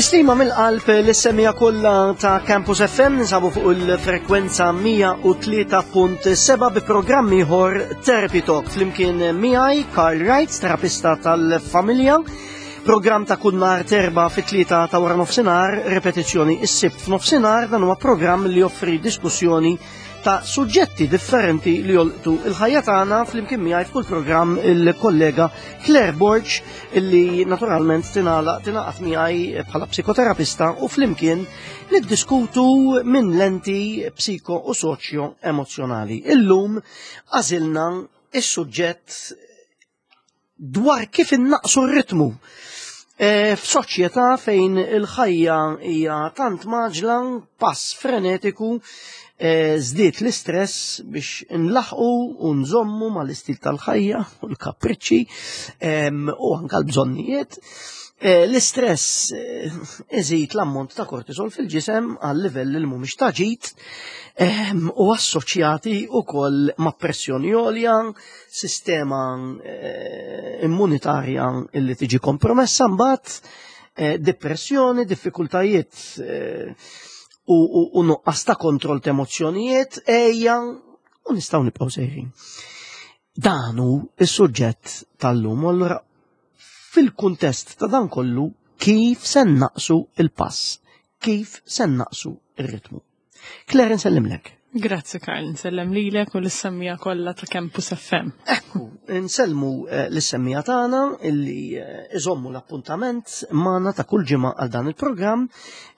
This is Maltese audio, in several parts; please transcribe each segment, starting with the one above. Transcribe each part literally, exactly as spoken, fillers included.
Tislima mill-qalb lis-semmiegħa kollha ta' Campus F M, ninsabu fuq il-frekwenza mija u tlieta punt sebgħa bi programm ieħor, Therapy Talk, flimkien miegħi Carl Wright, terapista tal-familja. Programm ta' kull nhar t'Erbgħa fit-tlieta ta' wara nofsinhar, repetizzjoni is-Sibt f'nofsinhar. Dan huwa programm li joffri diskussjoni ta' suġġetti differenti li jolqtu il-ħajja tagħna. Flimkien miegħi f'kull programm il-kollega Claire Borg, illi naturalment tingħalaq tingħaqad miegħi bħala psikoterapista u flimkien niddiskutu minn lenti psiko u soċjo emozjonali. Illum għażilna is-suġġett dwar kif innaqsu r-ritmu. E, F'soċjetà fejn il-ħajja hija tant mgħaġġla, pass frenetiku, e, żdied l-istress biex nlaħqu u nżommu mal-istil tal-ħajja u l-kapriċċi em, u anka l-bżonnijiet. E, L-istress eh, iżid l-ammont ta' kortisol fil-ġisem għal livell li mhumiex ta' ġid em, u assoċjati wkoll ma' pressjoni għolja, sistema eh, immunitarja illi tiġi kompromessa mbagħad, eh, depressjoni, diffikultajiet eh, u, u, u nuqqas ta' kontroll ta' emozzjonijiet, ejja, u nistgħu nibqgħu sejrin. Dan hu is-suġġett tal-lum, u allura fil-kuntest ta' dan kollu, kif se naqsu il-pass, kif se naqsu ir-ritmu? Claire, nsellimlek. Grazzi Karl, nsellem lilek u lis-semmiegħa kollha ta' Campus F M. Ekku, nsellmu eh, lis-semmiegħa tagħna illi eh, iżommu l-appuntament magħna ta' kull ġimgħa għal dan il-programm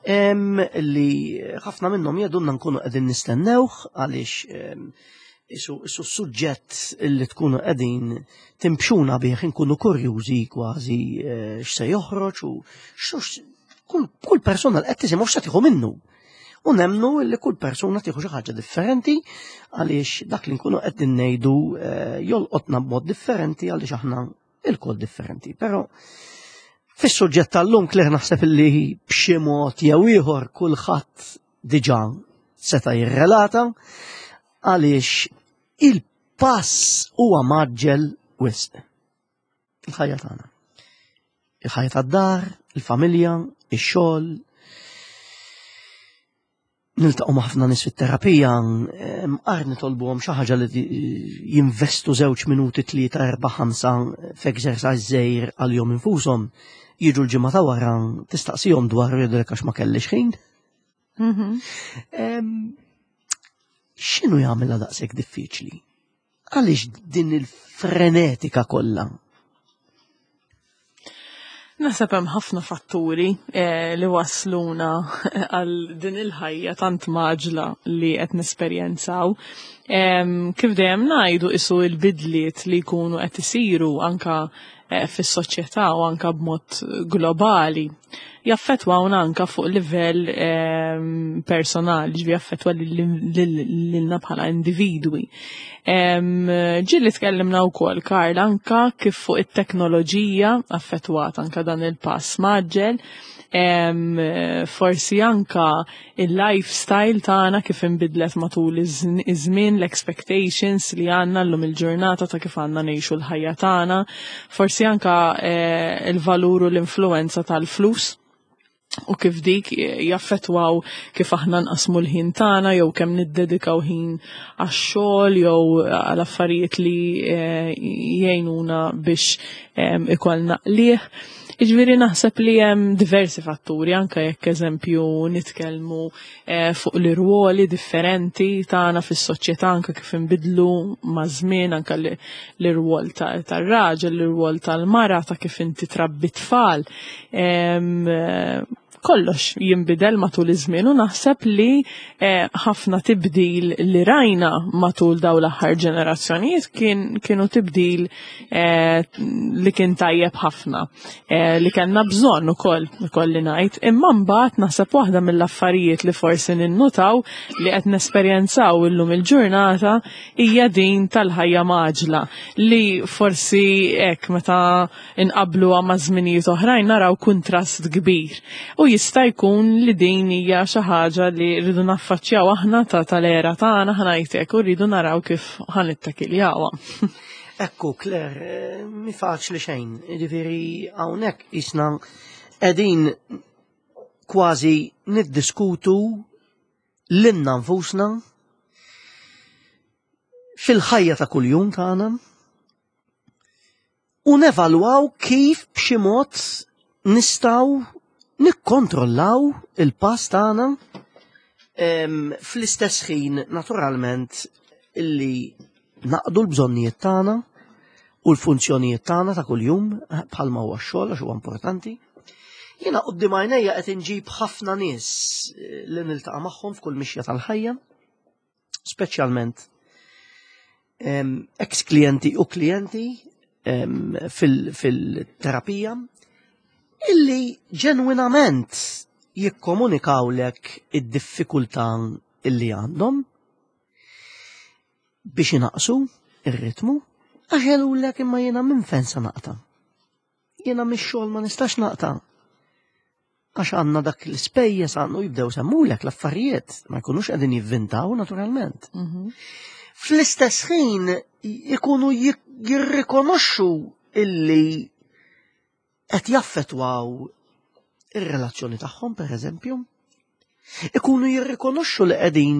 em, illi ħafna minnhom jgħidulna nkunu qegħdin nistennewh għaliex em, isu, isu suġġett illi tkunu qegħdin timbxuna bih, nkunu kurjużi kważi eh, x'se joħroġ u x'ux kull, kull persuna li qed tisimgħu x'se tieħu minnu. U nemnu li kull persuna tieħu xi ħaġa differenti għaliex dak li nkunu qed ngħidu eh, jolqotna b'mod differenti għaliex aħna ilkoll differenti. Però fis-suġġett tal-lum, Claire, naħseb li b'xi mod jew ieħor kulħadd diġà seta' jirrelata għaliex il-pass huwa mgħaġġel wisq. Il-ħajja tagħna. Il-ħajja tad-dar, il-familja, ix-xogħol, niltaqgħu ma' ħafna nies fit-terapija, mqar nitolbuhom xi ħaġa li jinvestu żewġ minuti, tlieta, erba', ħamsa f'exercise żgħir għalihom infushom. Jiġu l-ġimgħa ta' wara, tistaqsihom dwar, jgħidulek għax ma kellix ħin. Em, X'inhu jagħmilha daqshekk diffiċli? Għaliex din il-frenetika kollha? Naħseb hemm ħafna fatturi eh, li wasluna għal din il-ħajja tant mgħaġġla li qed nesperjenzaw. Em, Kif dejjem ngħidu, isu l-bidliet li jkunu qed isiru anka eh, fis-soċjetà u anka b'mod globali jaffettwawna anka fuq livell em, personali, ġifieri jaffettwa lilna bħala individwi. Em, Ġieli tkellimna wkoll, Karl, anka kif fuq it-teknoloġija affettwat anka dan il-pass mgħaġġel, em, forsi anka il-lifestyle tagħna kif inbidlet matul iż- iż-żmien, l-expectations li għandna llum il-ġurnata ta' kif għandna ngħixu l-ħajja tagħna, forsi anka eh, il-valur u l-influenza tal-flus u kif dik jaffettwaw kif aħna nqasmu l-ħin tagħna jew kemm niddedikaw ħin għax-xogħol jew għal affarijiet li eh, jgħinuna biex em, ikollna qligħ. Jiġifieri naħseb li hemm diversi fatturi, anke jekk eżempju nitkellmu eh, fuq l-irwoli differenti tagħna fis-soċjetà, anke kif inbidlu ma' żmien, anke l- l-irwol ta- tar-raġel, l-irwol tal-mara, ta' kif inti trabbi tfal. Em, eh, Kollox jinbidel matul iż-żmien u naħseb li eh, ħafna tibdil li rajna matul daw l-aħħar ġenerazzjonijiet kien kienu tibdil eh, li kien tajjeb ħafna, eh, li kellna bżonn ukoll, ukoll li ngħid, imma mbagħad naħseb waħda mill-affarijiet li forsi ninnutaw li qed nesperjenzaw illum il-ġurnata hija din tal-ħajja mgħaġġla li forsi hekk meta inqabluha ma' żminijiet oħrajn naraw kuntrast kbir. U jista' jkun li din hija xi ħaġa li rridu naffaċċjaw aħna ta' tal-era tagħna, ħa ngħidlek, u rridu naraw kif ħa nittakkiljawha. Ekku, Claire, eh, mi faċli xejn. Ġifieri hawnhekk isna qegħdin kważi niddiskutu lilna nfusna fil-ħajja ta' kuljum tagħna u nevalwaw kif b'xi mod nistgħu nikkontrollaw il-pass tagħna fl-istess ħin naturalment illi naqdu l-bżonnijiet tagħna u l-funzjonijiet tagħna ta' kuljum bħalma huwa x-xogħol għax huwa importanti. Jiena quddiem għajnejja qed inġib ħafna nies li niltaqa' magħhom f'kull mixja tal-ħajja, speċjalment ex-klijenti u klijenti fil-terapija, illi ġenwinament jikkomunikawlek id-diffikultà illi għandhom biex inaqsu ir-ritmu, għax jgħidulek imma jiena minn fejn sa naqta'. Jiena mix-xogħol ma nistax naqta'. Għax għandna dak l-ispejjeż għandu jibdew semmulek l-affarijiet, ma jkunux qegħdin jivvintaw naturalment. Fl-istess ħin ikunu jirrikonoxxu illi qed jaffettwaw ir-relazzjoni tagħhom, per eżempju, ikunu jirrikonoxxu li qegħdin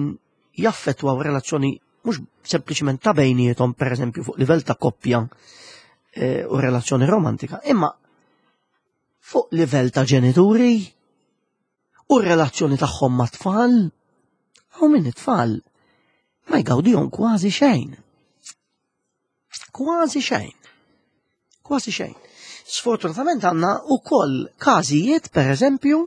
jaffettwaw relazzjoni mhux sempliċement ta' bejniethom, per eżempju, fuq livell ta' koppja u relazzjoni romantika, imma fuq livell ta' ġenituri u relazzjoni tagħhom ma' tfal, u minn it-tfal ma jgawdihom kważi xejn. Kważi xejn. Kważi xejn. Sfortunatament għandna wkoll każijiet, per eżempju,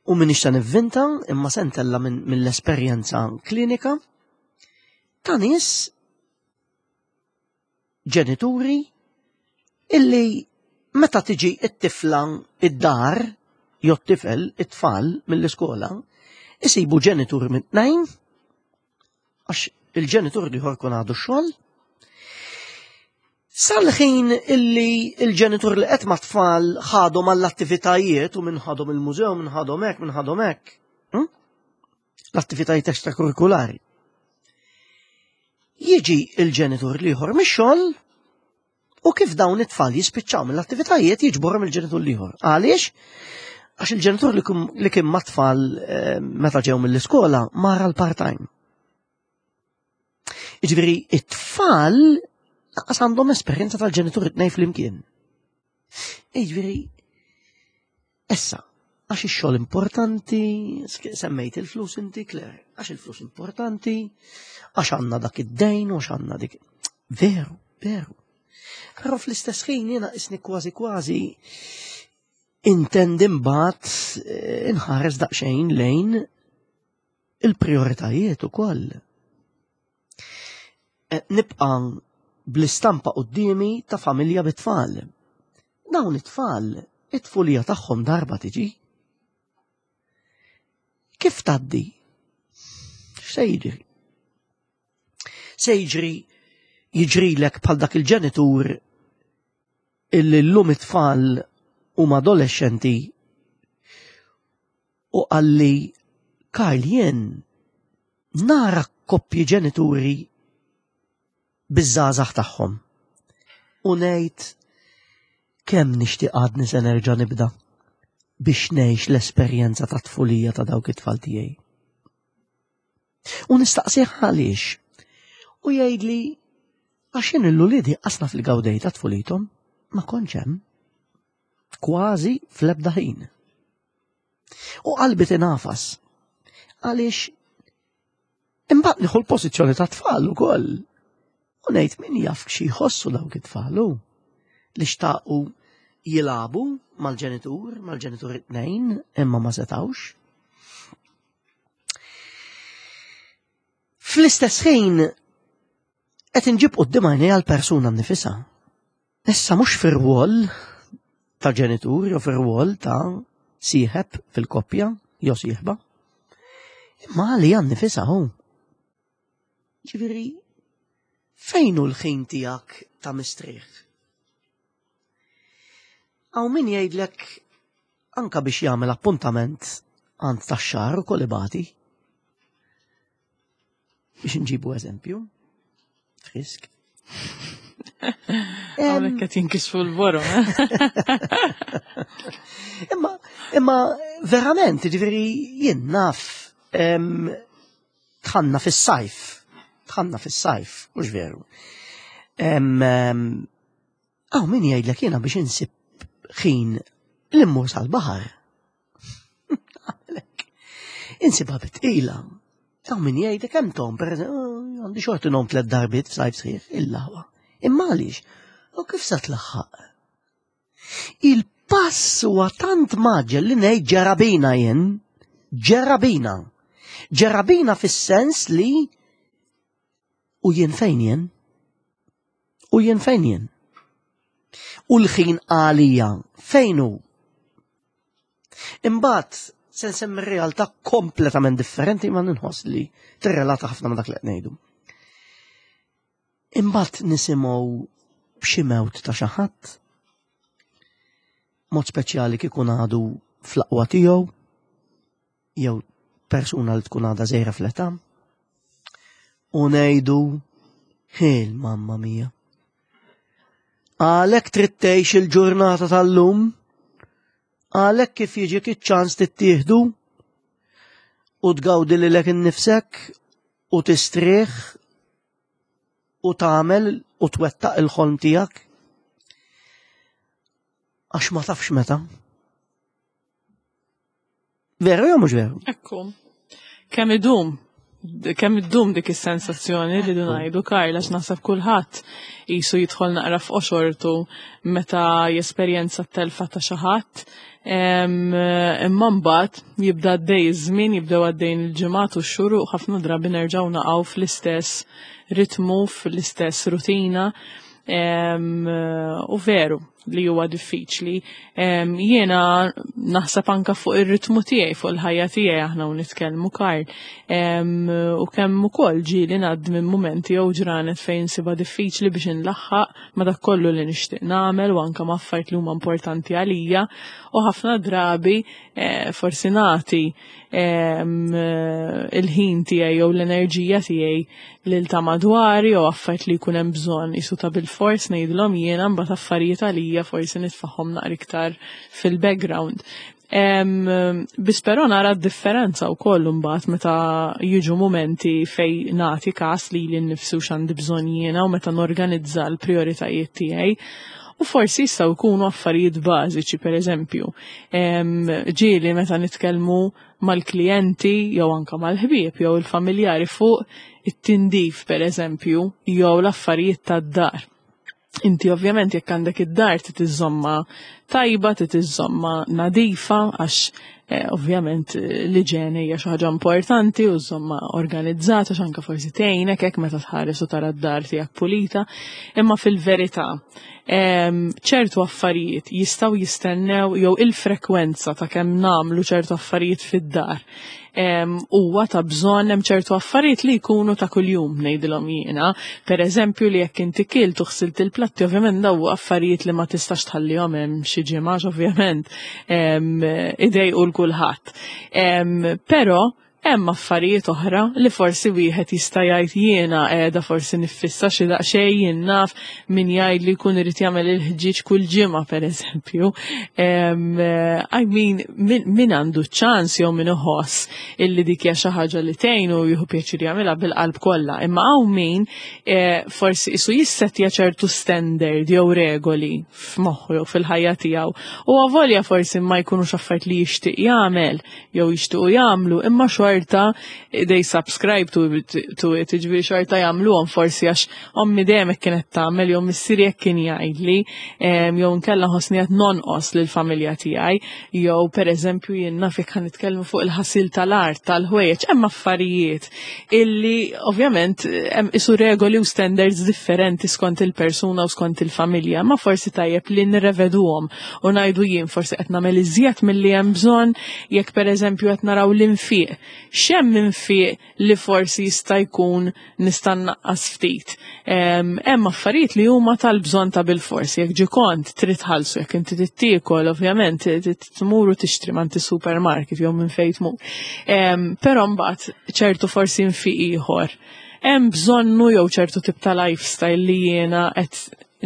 u minix ta' nivvinta, imma sentella mill-esperjenza klinika, ta' nies ġenituri illi meta tiġi it-tifla id-dar, jew t-tifel, it-tfal mill-iskola, isibu ġenitur minn tnejn, għax il-ġenitur l-ieħor kun għadu x-xogħol, sal-ħin illi il-ġenitur li qed ma' tfal ħadhom għall-attivitajiet u minn ħadhom il-mużew, minn ħadhom hekk, minn ħadhom hekk. L-attivitajiet extrakurrikulari. Jiġi il-ġenitur l-ieħor mix-xogħol u kif dawn it-tfal jispiċċaw mill-attivitajiet jiġborhom il-ġenitur l-ieħor. Għaliex? Għax il-ġenitur li kien ma' tfal meta ġew mill-iskola mara l-part-time. Jiġifieri it-tfal lanqas għandhom esperjenza tal-ġenitur it-tnejn flimkien. Jiġifieri issa, għax ix-xogħol importanti, semmejt il-flus inti, Claire, għax il-flus importanti, għax għandna dak id-dejn u għax għandna dik. Veru, veru. Però fl-istess ħin jiena isni kważi kważi intendi mbagħad inħares daqsxejn lejn il-prioritajiet ukoll. Nibqa' bl-istampa quddiemi ta' familja bit-tfal. Dawn it-tfal, it-tfulija tagħhom darba tiġi. Kif tgħaddi? X'se jiġri? Se jiġri jiġrilek bħal dak il-ġenitur illi llum it-tfal huma adolescenti u qalli Karl jien nara koppji ġenituri biż-żgħażagħ tagħhom. U ngħid kemm nixtieq għadni se nerġa' nibda biex ngħix l-esperjenza ta' tfulija ta' dawk it-tfal tiegħi. U nistaqsih għaliex. U jgħidli għax jien l-uliedi qasna fil-gawdej ta' tfulithom ma kontx hemm. Kważi fl-ebda ħin. U qalbi tinafas. Għaliex imbagħad nieħu l-pożizzjoni ta' tfal ukoll. U ngħid min jaf xi jħossu dawk it-tfal li xtaqu jilagħbu mal-ġenitur, mal-ġenitur it-tnejn, imma ma setawx. Fl-istess ħin qed inġib quddiem għajnejja l-persuna nnifisha. Issa mhux fir-rwol ta' ġenitur jew fir-rwol ta' sieħeb fil-koppja jew sieħba, imma għalija nnifisha hu. Ġifieri, fejn hu l-ħin tiegħek ta' mistrieħ? Hawn min jgħidlek anka biex jagħmel appuntament għand tax-xahar ukoll ibati. Biex nġibu eżempju. Frisk. Hawnhekk qed jinkisfu l-borom. Imma imma Verament, ġifieri jien naf dħalna fis-sajf, dħalna fis-sajf, mhux veru? Hawn min jgħidlek, "Jiena biex insib ħin li mmur sal-baħar. Insibha bi tqila." Hawn min jgħidlek hemm tom, per għandi xorti ngħum tliet darbiet f'sajf sħiħ, il-laħwa. Imma għaliex? U kif sa tlaħħaq? Il-pass huwa tant mgħaġġel li ngħid ġera bina jien, ġera bina. Ġera bina fis-sens li u jien fejn jien? U jien fejn jien? U l-ħin għalija fejn hu? Imbagħad se nsemmi realtà kompletament differenti, ma nħoss li tirrelata ħafna ma dak li qed ngħidu. Imbagħad nisimgħu b'xi mewt ta' xi ħadd, mod speċjali kieku għadu fl-aqwa tiegħu, jew persuna li tkun għadha żgħira fl-età, u ngħidu, "Ħil, mamma mia. Għalhekk trid tgħix il-ġurnata tal-lum, għalhekk kif jiġik iċ-ċans tittieħdu u tgawdi lilek innifsek u tistrieħ u tagħmel u twettaq il-ħolm tiegħek. Għax ma tafx meta." Veru jew mhux veru? Ekku. Kemm idum, kemm iddum dik is-sensazzjoni li du ngħidu, Karl, għax naħseb kulħadd qisu jidħol naqra f'qoxortu meta jesperjenza t-telfa ta' xi ħadd. Imma mbagħad jibda għaddej iż-żmien, jibdew għaddejn il-ġimgħat u x-xhur u ħafna drabi nerġgħu naqgħu fl-istess ritmu, fl-istess rutina. U veru li huwa diffiċli. Jiena naħseb anka fuq ir-ritmu tiegħi, fuq il-ħajja tiegħi aħna u nitkellmu, Karl. U kemm ukoll ġieli ngħaddi minn mumenti jew ġranet fejn sibha diffiċli biex inlaħħaq ma dak kollu li nixtieq nagħmel u anka ma' affarijiet li huma importanti għalija, u ħafna drabi eh, forsi nagħti il-ħin tiegħi jew l-enerġija tiegħi lil ta' madwari jew affarijiet li jkun hemm bżonn qisu ta' bil-fors ngħidilhom jiena, mbagħad affarijiet għalija forsi nitfagħhom naqra iktar fil-background. Biss però nara d-differenza wkoll mbagħad meta jiġu momenti fej nagħti kas lili nnifsi u x'għandi bżonn jiena u meta norganizza l-prioritajiet tiegħi. U forsi jistgħu jkunu affarijiet bażiċi, per eżempju. Ġieli meta nitkellmu mal-klijenti jew anka mal-ħbieb jew il-familjari fuq it-tindif, per eżempju, jew l-affarijiet tad-dar. Inti ovvjament jekk għandek id-dar trid iżżommha tajba, trid iżżommha nadifa, għax eh, ovvjament eh, l-iġene hija xi ħaġa importanti u żżommha organizzata, għax anke forsi tgħinek hekk meta tħares u tara d-dar tiegħek pulita. Imma fil-verità ċertu affarijiet jistgħu jistennew jew il-frekwenza ta' kemm nagħmlu ċertu affarijiet fid-dar huwa ta' bżonn? Hemm ċertu affarijiet li jkunu ta' kuljum, ngħidilhom jiena. Per eżempju, li jekk inti kilt u ħsilt il-platti, ovvjament daw affarijiet li ma tistax tħallihom hemm xi ġimgħa, ovvjament idejqu 'l kulħadd. Però hemm affarijiet oħra li forsi wieħed jista' jgħid, "Jiena qiegħda forsi niffissa xi daqsxejn." Jien naf min jgħid li jkun irid jagħmel il-ħġieġ kull ġimgħa, pereżempju. I mean, min għandu ċans jew min iħoss illi dik hija xi ħaġa li tgħin u jieħu pjaċir jagħmilha, bil-qalb kollha. Imma hawn min eh, forsi qisu jissettja ċertu standard jew regoli f'moħħu jew fil-ħajja tiegħu. U avolja forsi ma jkunux affarijiet li jixtieq jagħmel jew jixtiequ jagħmlu, imma xorta they subscribe to it, to it, ġifieri xorta jagħmluhom, forsi għax ommi dejjem hekk kienet tagħmel jew missieri hekk kien jgħidli jew nkella ħossni qed nonqos lill-familja tiegħi, jew pereżempju jien naf jekk nitkellmu fuq il-ħasil tal-art, tal-ħwejjeġ, hemm affarijiet illi ovvjament hemm qisu regoli u standards differenti skont il-persuna u skont il-familja, ma forsi tajjeb li nirreveduhom u ngħidu, "Jien forsi qed nagħmel iżjed milli hemm bżonn." Jekk pereżempju qed naraw l-infiq, x'hemm infiq li forsi jista' jkun nista' nnaqqas ftit? Hemm affarijiet li huma tal-bżonn ta' bil-forsi, jekk ġi kont trid tħallsu, jekk inti tiekol, ovvjament tmur u tixtri minn supermarket jew minn fejn tmur. Però mbagħad ċertu forsi infiq ieħor hemm bżonnu jew ċertu tip ta' lifestyle li jiena qed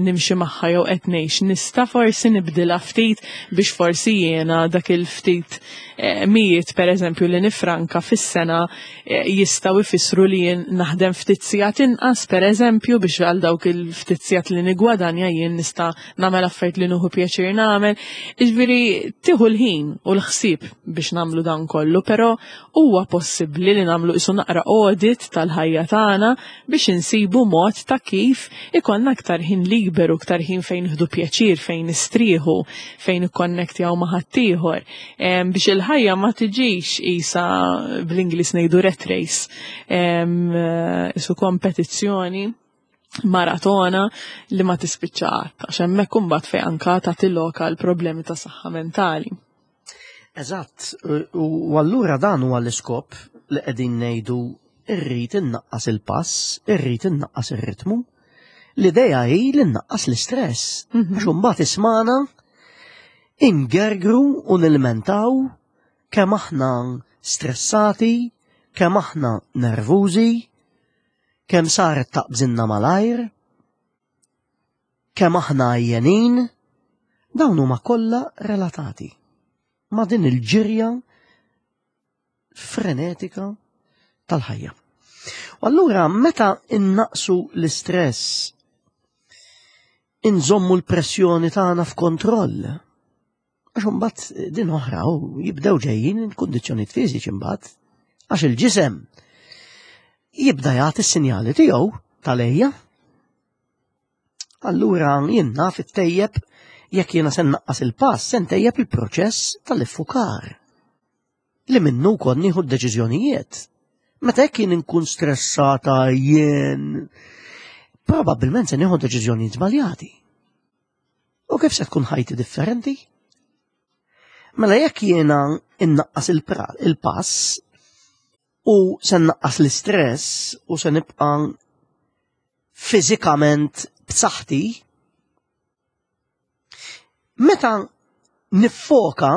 nimxi magħha jew qed ngħix nista' forsi nibdilha ftit biex forsi jiena dak il-ftit eh, mijiet, pereżempju, li nifranka fis-sena eh, jistgħu jfissru li jien naħdem ftit sigħat inqas, pereżempju, biex għal dawk il-ftit sigħat li nigwadanja jien nista' nagħmel affarijiet li nieħu pjaċir nagħmel. Jiġifieri tieħu l-ħin u l-ħsieb biex nagħmlu dan kollu, però huwa possibbli li nagħmlu qisu naqra audit tal-ħajja tagħna biex insibu mod ta' kif ikollna aktar ħin liberu, aktar ħin fejn nieħdu pjaċir, fejn nistrieħu, fejn nikkonnektjaw ma' ħaddieħor. Em, biex il-ħajja ma tiġix qisha, bl-Ingliż ngħidu, rat race, Em, eh, qisu kompetizzjoni maratona li ma tispiċċa qatt, għax hemmhekk imbagħad fejn anka tagħti lok għal problemi ta' saħħa mentali. Eżatt, u u allura dan huwa l-iskop li qegħdin ngħidu irrid innaqqas il-pass, irrid innaqqas ir-ritmu. L-idea hi li nnaqqas l-istress. Mhm. Għax imbagħad ismana ingergru u nilmentaw kemm aħna stressati, kemm aħna nervużi, kemm saret taqbżinna malajr, kemm aħna għajjenin, dawn huma kollha relatati ma' din il-ġirja frenetika tal-ħajja. U allura meta innaqsu l-istress, inżommu l-pressjoni tagħna f'kontroll. Għax imbagħad din oħra u jibdew ġejjin il-kundizzjonijiet fiżiċi imbagħad. Għax il-ġisem jibda jagħti s-sinjali tiegħu tal-ejja. Allura jien naf ittejjeb jekk jiena se nnaqqas il-pass, se ntejjeb il-proċess tal-iffukar. Li minnu wkoll nieħu d-deċiżjonijiet. Meta jekk jien inkun stressata jien, probabbilment se nieħu deċiżjonijiet żbaljati. U kif se tkun ħajti differenti? Mela jekk jiena innaqqas il-pass u se nnaqqas l-istress u se nibqa' fiżikament b'saħħti, meta niffoka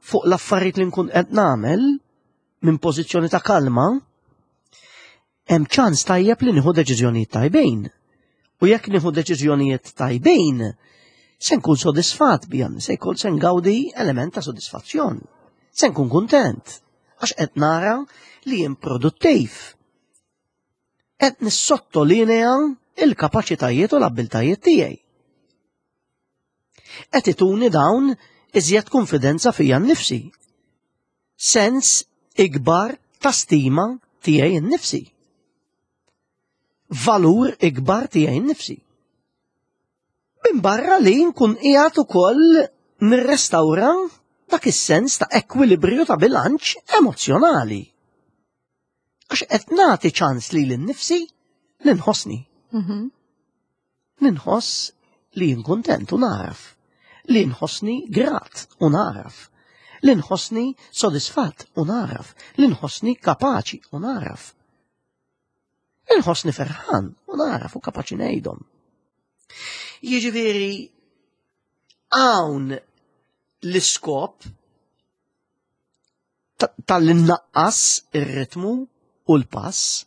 fuq l-affarijiet li nkun qed nagħmel minn pożizzjoni ta' kalma, hemm ċans tajjeb li nieħu deċiżjonijiet tajbin. U jekk nieħu deċiżjonijiet tajbin, se nkun sodisfat bijan, se jkun se ngawdi element ta' sodisfazzjon. Se nkun kuntent, għax qed nara li jien produttiv. Qed nissottolinea il-kapaċitajiet u l-abbiltajiet tiegħi. Qed ituni dawn iżjed konfidenza fija nnifsi. Sens ikbar ta' stima tiegħi nnifsi. Valur ikbar tiegħi nnifsi. Min barra li nkun qiegħed ukoll nirrestawra dak is-sens ta' ekwilibrju, ta' bilanċ emozzjonali. Għax qed nagħti ċans lili nnifsi li nħossni. Mhm. Li nħoss li jien kuntent u naraf. Li nħossni grat u naraf. Li nħossni sodisfatt u naraf. Li nħossni kapaċi u naraf. Li nħossni ferħan u naraf u kapaċi ngħidhom. Jiġifieri hawn l-iskop tal-innaqqas ir-ritmu u l-pass.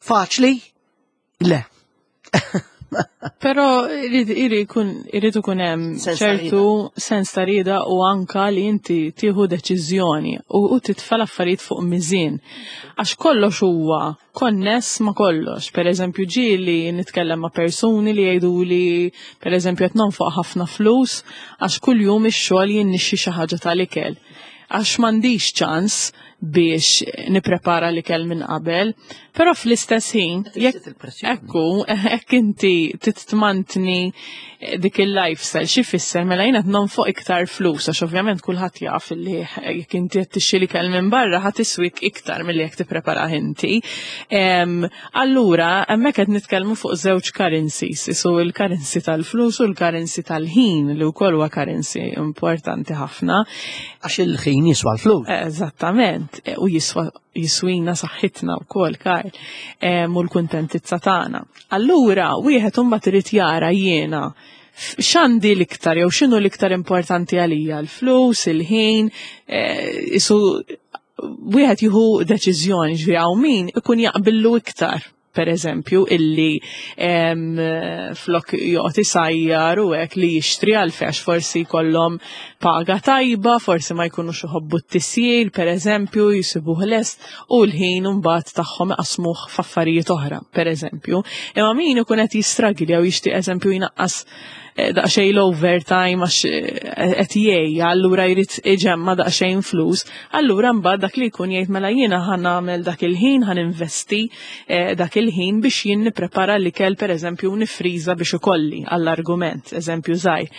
Faċli? Le. Però irid ikun hemm ċertu sens ta' rieda u anka li inti tieħu deċiżjoni u, u titfa' l-affarijiet fuq miżien. Għax kollox huwa konness ma' kollox. Per eżempju, ġieli nitkellem ma' persuni li jgħidu li, per eżempju, qed nonfoq ħafna flus għax kuljum ix-xogħol jien nixtri xi ħaġa tal-ikel. Għax m'għandix ċans biex niprepara l-ikel minn qabel, però fl-istess ħin, jekk ekku, jekk inti titmantni dik il-lifestyle, xi fisser? Mela jiena nonfoq iktar flus, għax ovvjament kulħadd jaf li jekk inti qed tixtri l-ikel minn barra ħa tiswik iktar milli jekk tippreparah inti. Allura, hemmhekk qed nitkellmu fuq żewġ currencies, isu il-currency tal-flus u l-currency tal-ħin, li wkoll huwa currency importanti ħafna. Għax il-ħin jiswa l-flus. Eżattament, u jiswa jiswina saħħitna wkoll, Karl, u l-kuntentizza tagħna. Allura, wieħed imbagħad irid jara jiena x'għandi l-iktar jew x'inhu l-iktar importanti għalija, l-flus, il-ħin, isu wieħed jieħu deċiżjoni. Ġifieri hawn min ikun jaqbillu iktar. per eżempju, illi em, flok joqgħod isajjar u hekk li jixtri għalfejn forsi jkollhom paga tajba, forsi ma jkunux iħobbu t-tisjir, per eżempju, jisibuh lest u l-ħin mbagħad tagħhom iqasmuh f'affarijiet oħra, per eżempju. Imma min ikun qed jistragli jew jixtieq eżempju jnaqqas eh, daqsxejn l-overtime għax eh, qed jgħejja, allura jrid iġemma daqsxejn flus, allura mbagħad dak li jkun jgħid mela jiena ħa nagħmel dak il-ħin, ħa ninvesti eh, dak il-ħin biex jien nipprepara l-ikel pereżempju nifriża biex ikolli għall-argument, eżempju żgħir.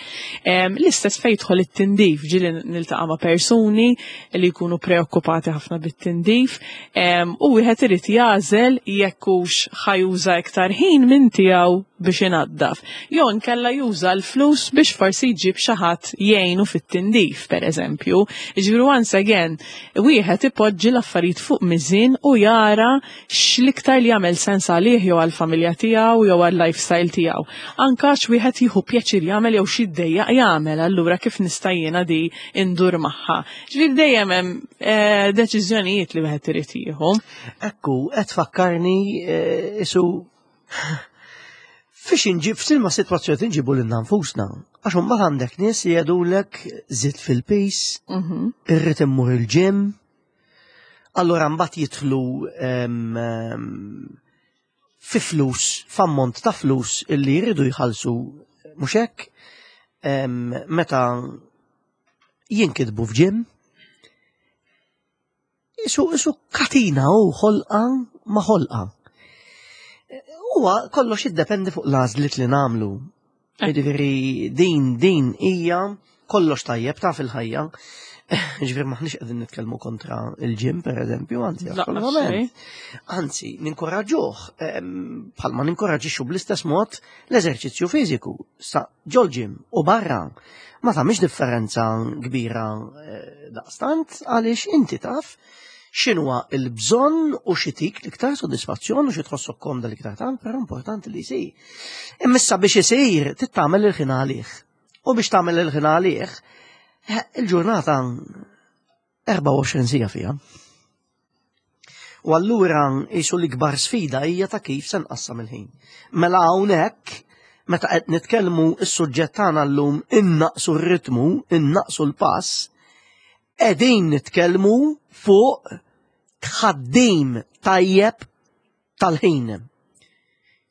Em, L-istess fejn jidħol it-tindif, ġieli niltaqa' ma' persuni li jkunu preokkupati ħafna bit-tindif em, u wieħed irid jagħżel jekk hux ħa juża iktar ħin minn tiegħu biex inaddaf. Jew inkella juża l-flus biex forsi jġib xi ħadd jgħinu fit-tindif, per eżempju. Ġifieri once again, wieħed ipoġġi l-affarijiet fuq miżin u jara x'l-iktar li jagħmel sens għalih jew għall-familja tiegħu jew għall-lifestyle tiegħu. Anka x'wieħed jieħu pjaċir jagħmel jew x'iddejjaq jagħmel, allura kif nista' jiena di indur magħha. Ġifieri dejjem hemm eh, deċiżjonijiet li wieħed irid jieħu. Ekku, qed fakkarni eh, isu fiex inġib, f'silma situazzjoni nġibu lil nfusna. Għax mbagħad għandek nies li jgħidulek żidt fil-piż, Mhm. irrid immur il-gym. Allora mbagħad jidħlu em, em, fi flus, f'ammont ta' flus illi jridu jħallsu mhux hekk em, meta jinkitbu f'gym. Isu, isu katina u ħolqa ma ħolqa. Huwa kollox jiddependi fuq l-għażliet li nagħmlu. Jiġifieri din din hija kollox tajjeb ta' fil-ħajja. Ġifieri maħniex qegħdin nitkellmu kontra il-gym per eżempju, anzi, Laqas assolutament. Anzi, ninkoraġġuh, em, bħalma ninkoraġġixxu bl-istess mod l-eżerċizzju fiżiku sa ġol-gym u barra. Ma tagħmilx differenza kbira eh, daqstant għaliex inti taf x'inhuwa il-bżonn u x'itik l-iktar sodisfazzjon u xi tħossok komda l-iktar tant, però importanti li jsir. Imma issa biex isir trid tagħmel il-ħin għalih. U biex tagħmel il-ħin għalih, eh, il-ġurnata erbgħa u għoxrin siegħa fiha. U allura jisu l-ikbar sfida hija ta' kif se nqassam il-ħin. Mela hawnhekk meta qed nitkellmu is-suġġett tagħna llum innaqsu r-ritmu, innaqsu l-pass, qegħdin nitkellmu fuq tħaddim tajjeb tal-ħin.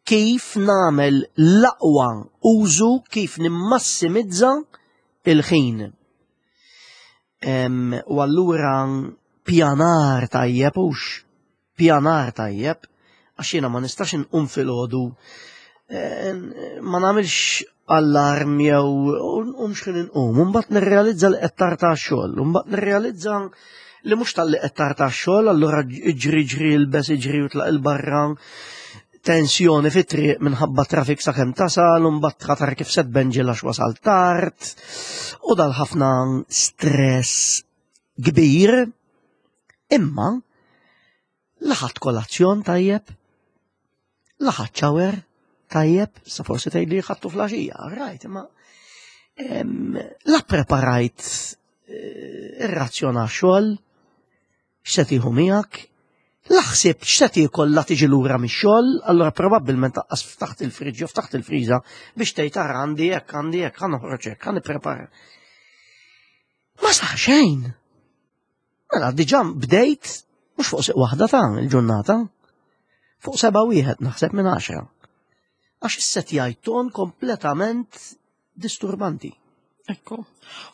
Kif nagħmel l-aqwa użu, kif nimmassimizza il-ħin. Em, U allura pjanar tajjeb hux pjanar tajjeb, għax jiena ma nistax inqum filgħodu eh, ma nagħmilx allarm jew nqum x'ħin inqum, u mbagħad nirrealizza li qed tard tax-xogħol, u mbagħad nirrealizza li mhux talli qed tard tax-xogħol, allura iġri ġri ilbes iġri u tlaq il-barra tensjoni fit-triq minħabba trafik sakemm tasal, u mbagħad ħatar kif se tbenġel għax wasal tard, u dal ħafna stress kbir, imma la ħadt kolazzjon tajjeb, la ħadt shower tajjeb, sa forsi tgħid li ħadtu filgħaxija, right, imma em, la preparajt eh, ir-razzjon għax-xogħol, x'se tieħu miegħek, la ħsibt x'se tiekol la tiġi lura mix-xogħol, allura probabbilment taqqas ftaħt il-friġġ jew ftaħt il-friża biex tgħid ara għandi hekk, għandi hekk, ħa noħroġ hekk, ħa nipprepara. Ma sar xejn. Mela diġà bdejt mhux fuq siq waħda ta' il-ġurnata, fuq seba' wieħed naħseb minn għaxra. Għax issetjajt ton kompletament disturbanti. Ekku.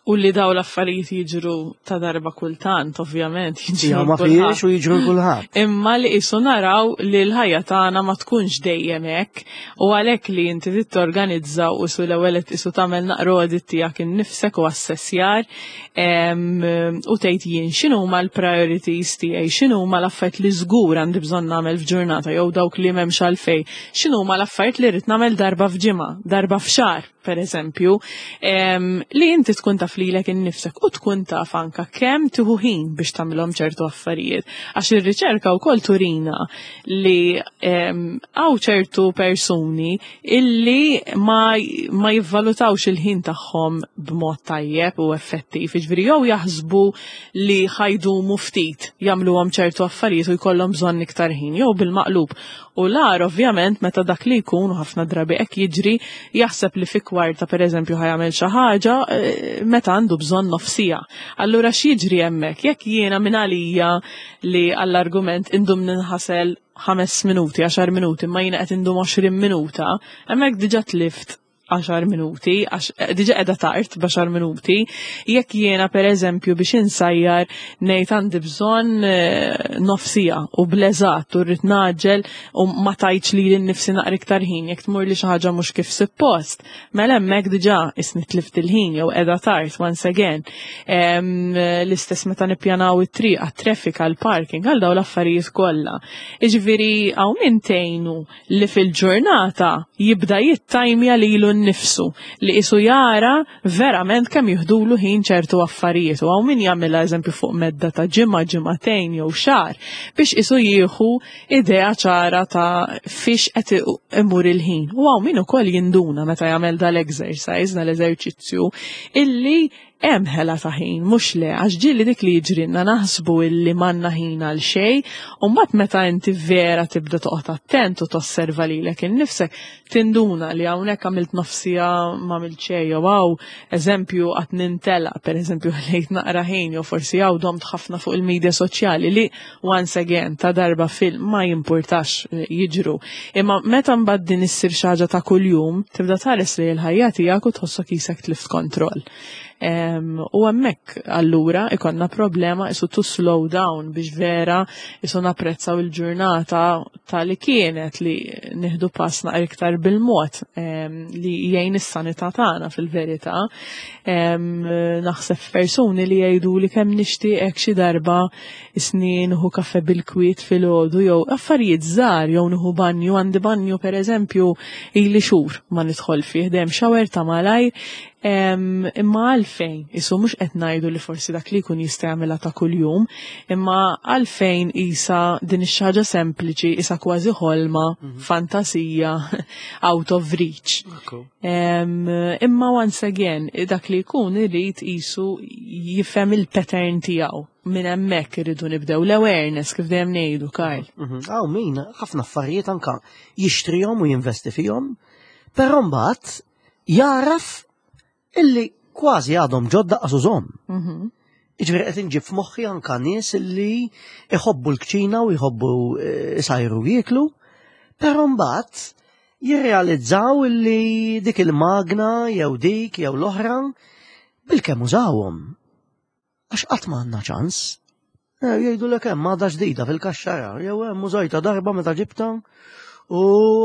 U li daw l-affarijiet jiġru ta' darba kultant, ovvjament, jiġru Ja, ma kulħadd. fiex u jiġru kulħadd. Imma li qisu naraw li l-ħajja tagħna ma tkunx dejjem hekk u għalhekk li inti trid torganizza u su l-ewwel qed isu tagħmel naqra audit tiegħek innifsek u assessjar em, u tgħid jien x'inhuma l-priorities tiegħi, x'inhuma l-affarijiet li żgur għandi bżonn nagħmel f'ġurnata jew dawk li m'hemmx għalfejn, x'inhuma l-affarijiet li rrid nagħmel darba f'ġimgħa, darba f'xahar. Per eżempju, li inti tkun taf lilek innifsek u tkun taf anka kemm tieħu ħin biex tagħmilhom ċertu affarijiet. Għax ir-riċerka wkoll turina li hawn ċertu persuni illi ma, ma jivvalutawx il-ħin tagħhom b'mod tajjeb u effettiv. Jiġifieri jew jaħsbu li ħa jdumu ftit jagħmluhom ċertu affarijiet u jkollhom bżonn iktar ħin, jew bil-maqlub. U l-agħar ovvjament meta dak li jkun, u ħafna drabi hekk jiġri, jaħseb li fi kwarta, per eżempju, ħa jagħmel xi ħaġa eh, meta għandu bżonn nofs siegħa. Allura x'jiġri hemmhekk? Jekk jiena minn għalija li għall-argument indum ninħasel ħames minuti, għaxar minuti, ma jiena qed indum għoxrin minuta, hemmhekk diġà tlift għaxar minuti, għax eh, diġà qiegħda tard b'għaxar minuti. Jekk jiena, per eżempju, biex insajjar ngħid għandi bżonn eh, nofs siegħa u bleżat u rrid ngħaġġel u ma tajtx lili nnifsi naqra iktar ħin, jekk tmur li xi ħaġa mhux kif suppost, mela hemmhekk diġà isni tlift il-ħin jew qiegħda tard once again. L-istess meta nippjanaw it-triq, għat-traffic, għall-parking, għal dawn l-affarijiet kollha. Jiġifieri hawn min tgħinu li fil-ġurnata jibda jittajmja lilu nnifsu li isu jara verament kemm jiħdulu ħin ċertu affarijiet, u hawn min jagħmilha, eżempju, fuq medda ta' ġimgħa, ġimagħtejn jew xahar biex isu jieħu idea ċara ta' fiex qed imur il-ħin. U hawn min ukoll jinduna meta jagħmel dal-exercise, dal-eżerċizzju, illi hemm ħela ta' ħin, mhux le, għax ġieli dik li jiġrilna, naħsbu illi m'għandna ħin għal xejn, u mbagħad meta inti vera tibda toqgħod attent u tosserva lilek innifsek, tinduna li hawnhekk għamilt nofs siegħa ma għamilt xejn, jew hawn, eżempju, qatt nintela, per eżempju, ħlejt naqra ħin, jew forsi hawn domt ħafna fuq il-medja soċjali li once again ta' darba fil ma jimpurtax, eh, jiġru. Imma meta mbagħad din issir xi ħaġa ta' kuljum, tibda tħares li l-ħajja tiegħek u tħossok qisek tlift kontroll. U hemmhekk allura ikollna problema isu to slow down biex vera isu napprezzaw il-ġurnata ta' li kienet, li nieħdu pass naqra iktar bil-mod li jgħin is-sanità tagħna fil-verità. Naħseb persuni li jgħidu li kemm nixtieq xi darba isni nieħu kafe bil-kwiet filgħodu jew affarijiet żgħar jew nieħu banju, għandi banju, per eżempju, ili xhur ma nidħol fih, dejjem shower ta' malajr. Imma għalfejn, isu mhux qed ngħidu li forsi dak li jkun jista' jagħmilha ta' kuljum, imma għalfejn isa din ix-ħaġa sempliċi isa kważi ħolma, mhm. fantasija, out of reach. Imma once again, dak li jkun irid isu jifhem il-pattern tiegħu, minn hemmhekk irridu nibdew l-awareness, kif dejjem ngħidu, Karl. Mhm. Hawn min ħafna affarijiet anka jixtrihom u jinvesti fihom, però mbagħad jaraf illi kważi għadhom ġodda qasużhom. Mhm. Jiġifieri qed inġib f'moħħi anka nies illi iħobbu l-kċina u jħobbu eh, isajru jieklu, però mbagħad jirrealizzaw illi dik il-magna jew dik jew l-oħra bilkemm użawhom. Għax qatt ma għandna ċans. Eh, jgħidu l hemm għadha ġdida fil-kaxxara, jew hemm użajta darba meta ġibta u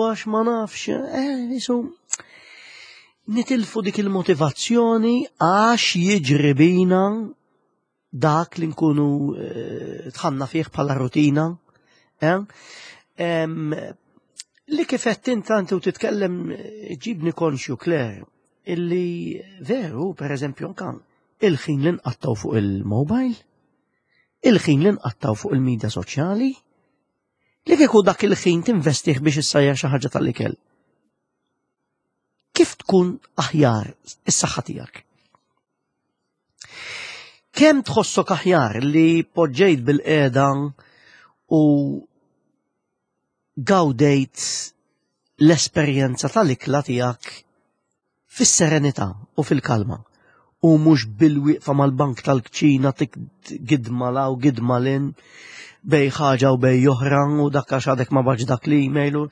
għax ma nafx, eh, jisu nitilfu dik il-motivazzjoni għax jiġri bina dak li nkunu eh, dħalna fih bħala rutina. Eh? Li kif qed inti u titkellem ġibni konxju, Claire, illi veru, per eżempju, anka il-ħin li nqattaw fuq il-mobile, il-ħin li nqattaw fuq il-medja soċjali, li kieku dak il-ħin tinvestih biex issajjar xi ħaġa tal-ikel. Kif tkun aħjar is-saħħa tiegħek? Kemm tħossok aħjar li poġġejt bilqiegħda u gawdejt l-esperjenza tal-ikla tiegħek fis-serenità u fil-kalma u mhux bil-wieqfa mal-bank tal-kċina gidma 'l hawn gidma 'l hinn, bejn ħaġa u bejn oħra, u dak għax għadek ma bgħattx dak l-email u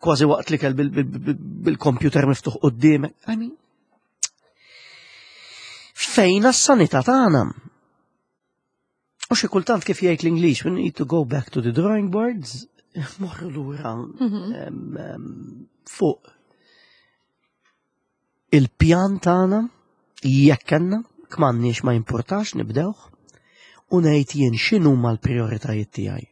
kważi waqt li kell bil-computer miftuħ quddiemek. I mean, fejn s-sanità tagħna? U xi kultant, kif jgħid l-Ingliż, "we need to go back to the drawing boards", morru lura mhm. fuq il-pjan tagħna jekk kellna, kmanniex ma importax, nibdewh u ngħid jien x'inhuma l-prijoritajiet tiegħi.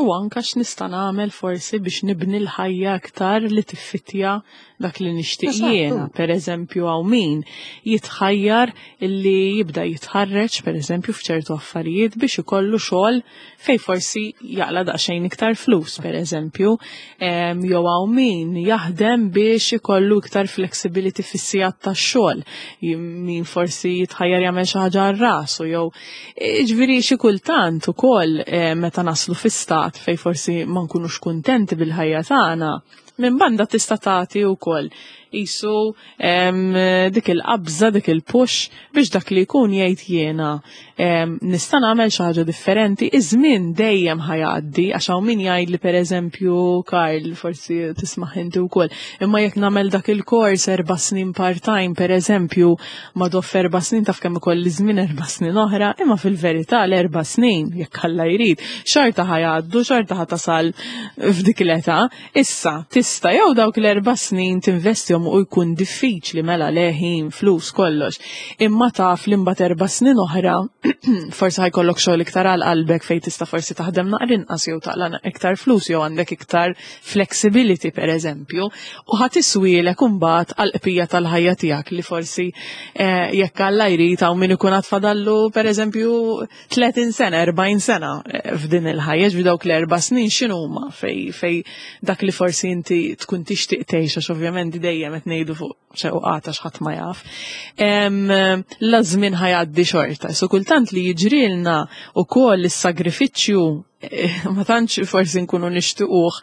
U anka x'nista' nagħmel forsi biex nibni l-ħajja aktar li tiffitja dak li nixtieq jiena. Per eżempju, hawn min jitħajjar illi jibda jitħarreġ per eżempju f'ċertu affarijiet biex ikollu xogħol fej forsi jaqla daqsxejn iktar flus, per eżempju, jew hawn min jaħdem biex ikollu iktar flexibility fis-sigħat tax-xogħol, min forsi jitħajjar jagħmel xi ħaġa għal rasu, jew jiġifieri xi kultant ukoll meta naslu fi stat fej forsi ma nkunux kuntenti bil-ħajja tagħna, minn banda tista' tagħti wkoll qisu dik il-qabża, dik il-push biex dak li jkun jgħid jiena nista' nagħmel xi ħaġa differenti. Iż-żmien dejjem ħajgħaddi, għax hawn min jgħid li pereżempju, Karl, forsi tisma' inti wkoll, imma jekk nagħmel dak il-kors erba' snin part-time pereżempju, ma doff erba' snin taf kemm ikolli żmien erba' snin oħra, imma fil-verità l-erba' snin, jekk Alla jrid, xorta ħajgħaddu, xorta ħatasal f'dik l-età. Issa tista' jew dawk l-erba' snin tinvestihom u jkun diffiċli mela leħin, flus, kollox. Imma taf li mbagħad erba' snin oħra forsi ħajkollok xogħol iktar għal qalbek fejn tista' forsi taħdem naqra inqas jew taqla' iktar flus jew għandek iktar flexibility pereżempju, u ħa tiswielek imbagħad għal qbija tal-ħajja tiegħek li forsi eh, jekk Alla jrid hawn min ikun għad fadallu pereżempju tletin sena, erbgħin sena eh, f'din il-ħajja, ġifieri dawk l-erba' snin x'inhuma fej fej dak li forsi inti tkun tixtieq tgħix, għax ovvjament dejjem qed ngħidu fuq xewqata x'ħadd ma jaf. La żmien ħajgħaddi xorta. So kultant li jiġrilna wkoll is-sagrifiċċju ma tantx forsi nkunu nixtiequh,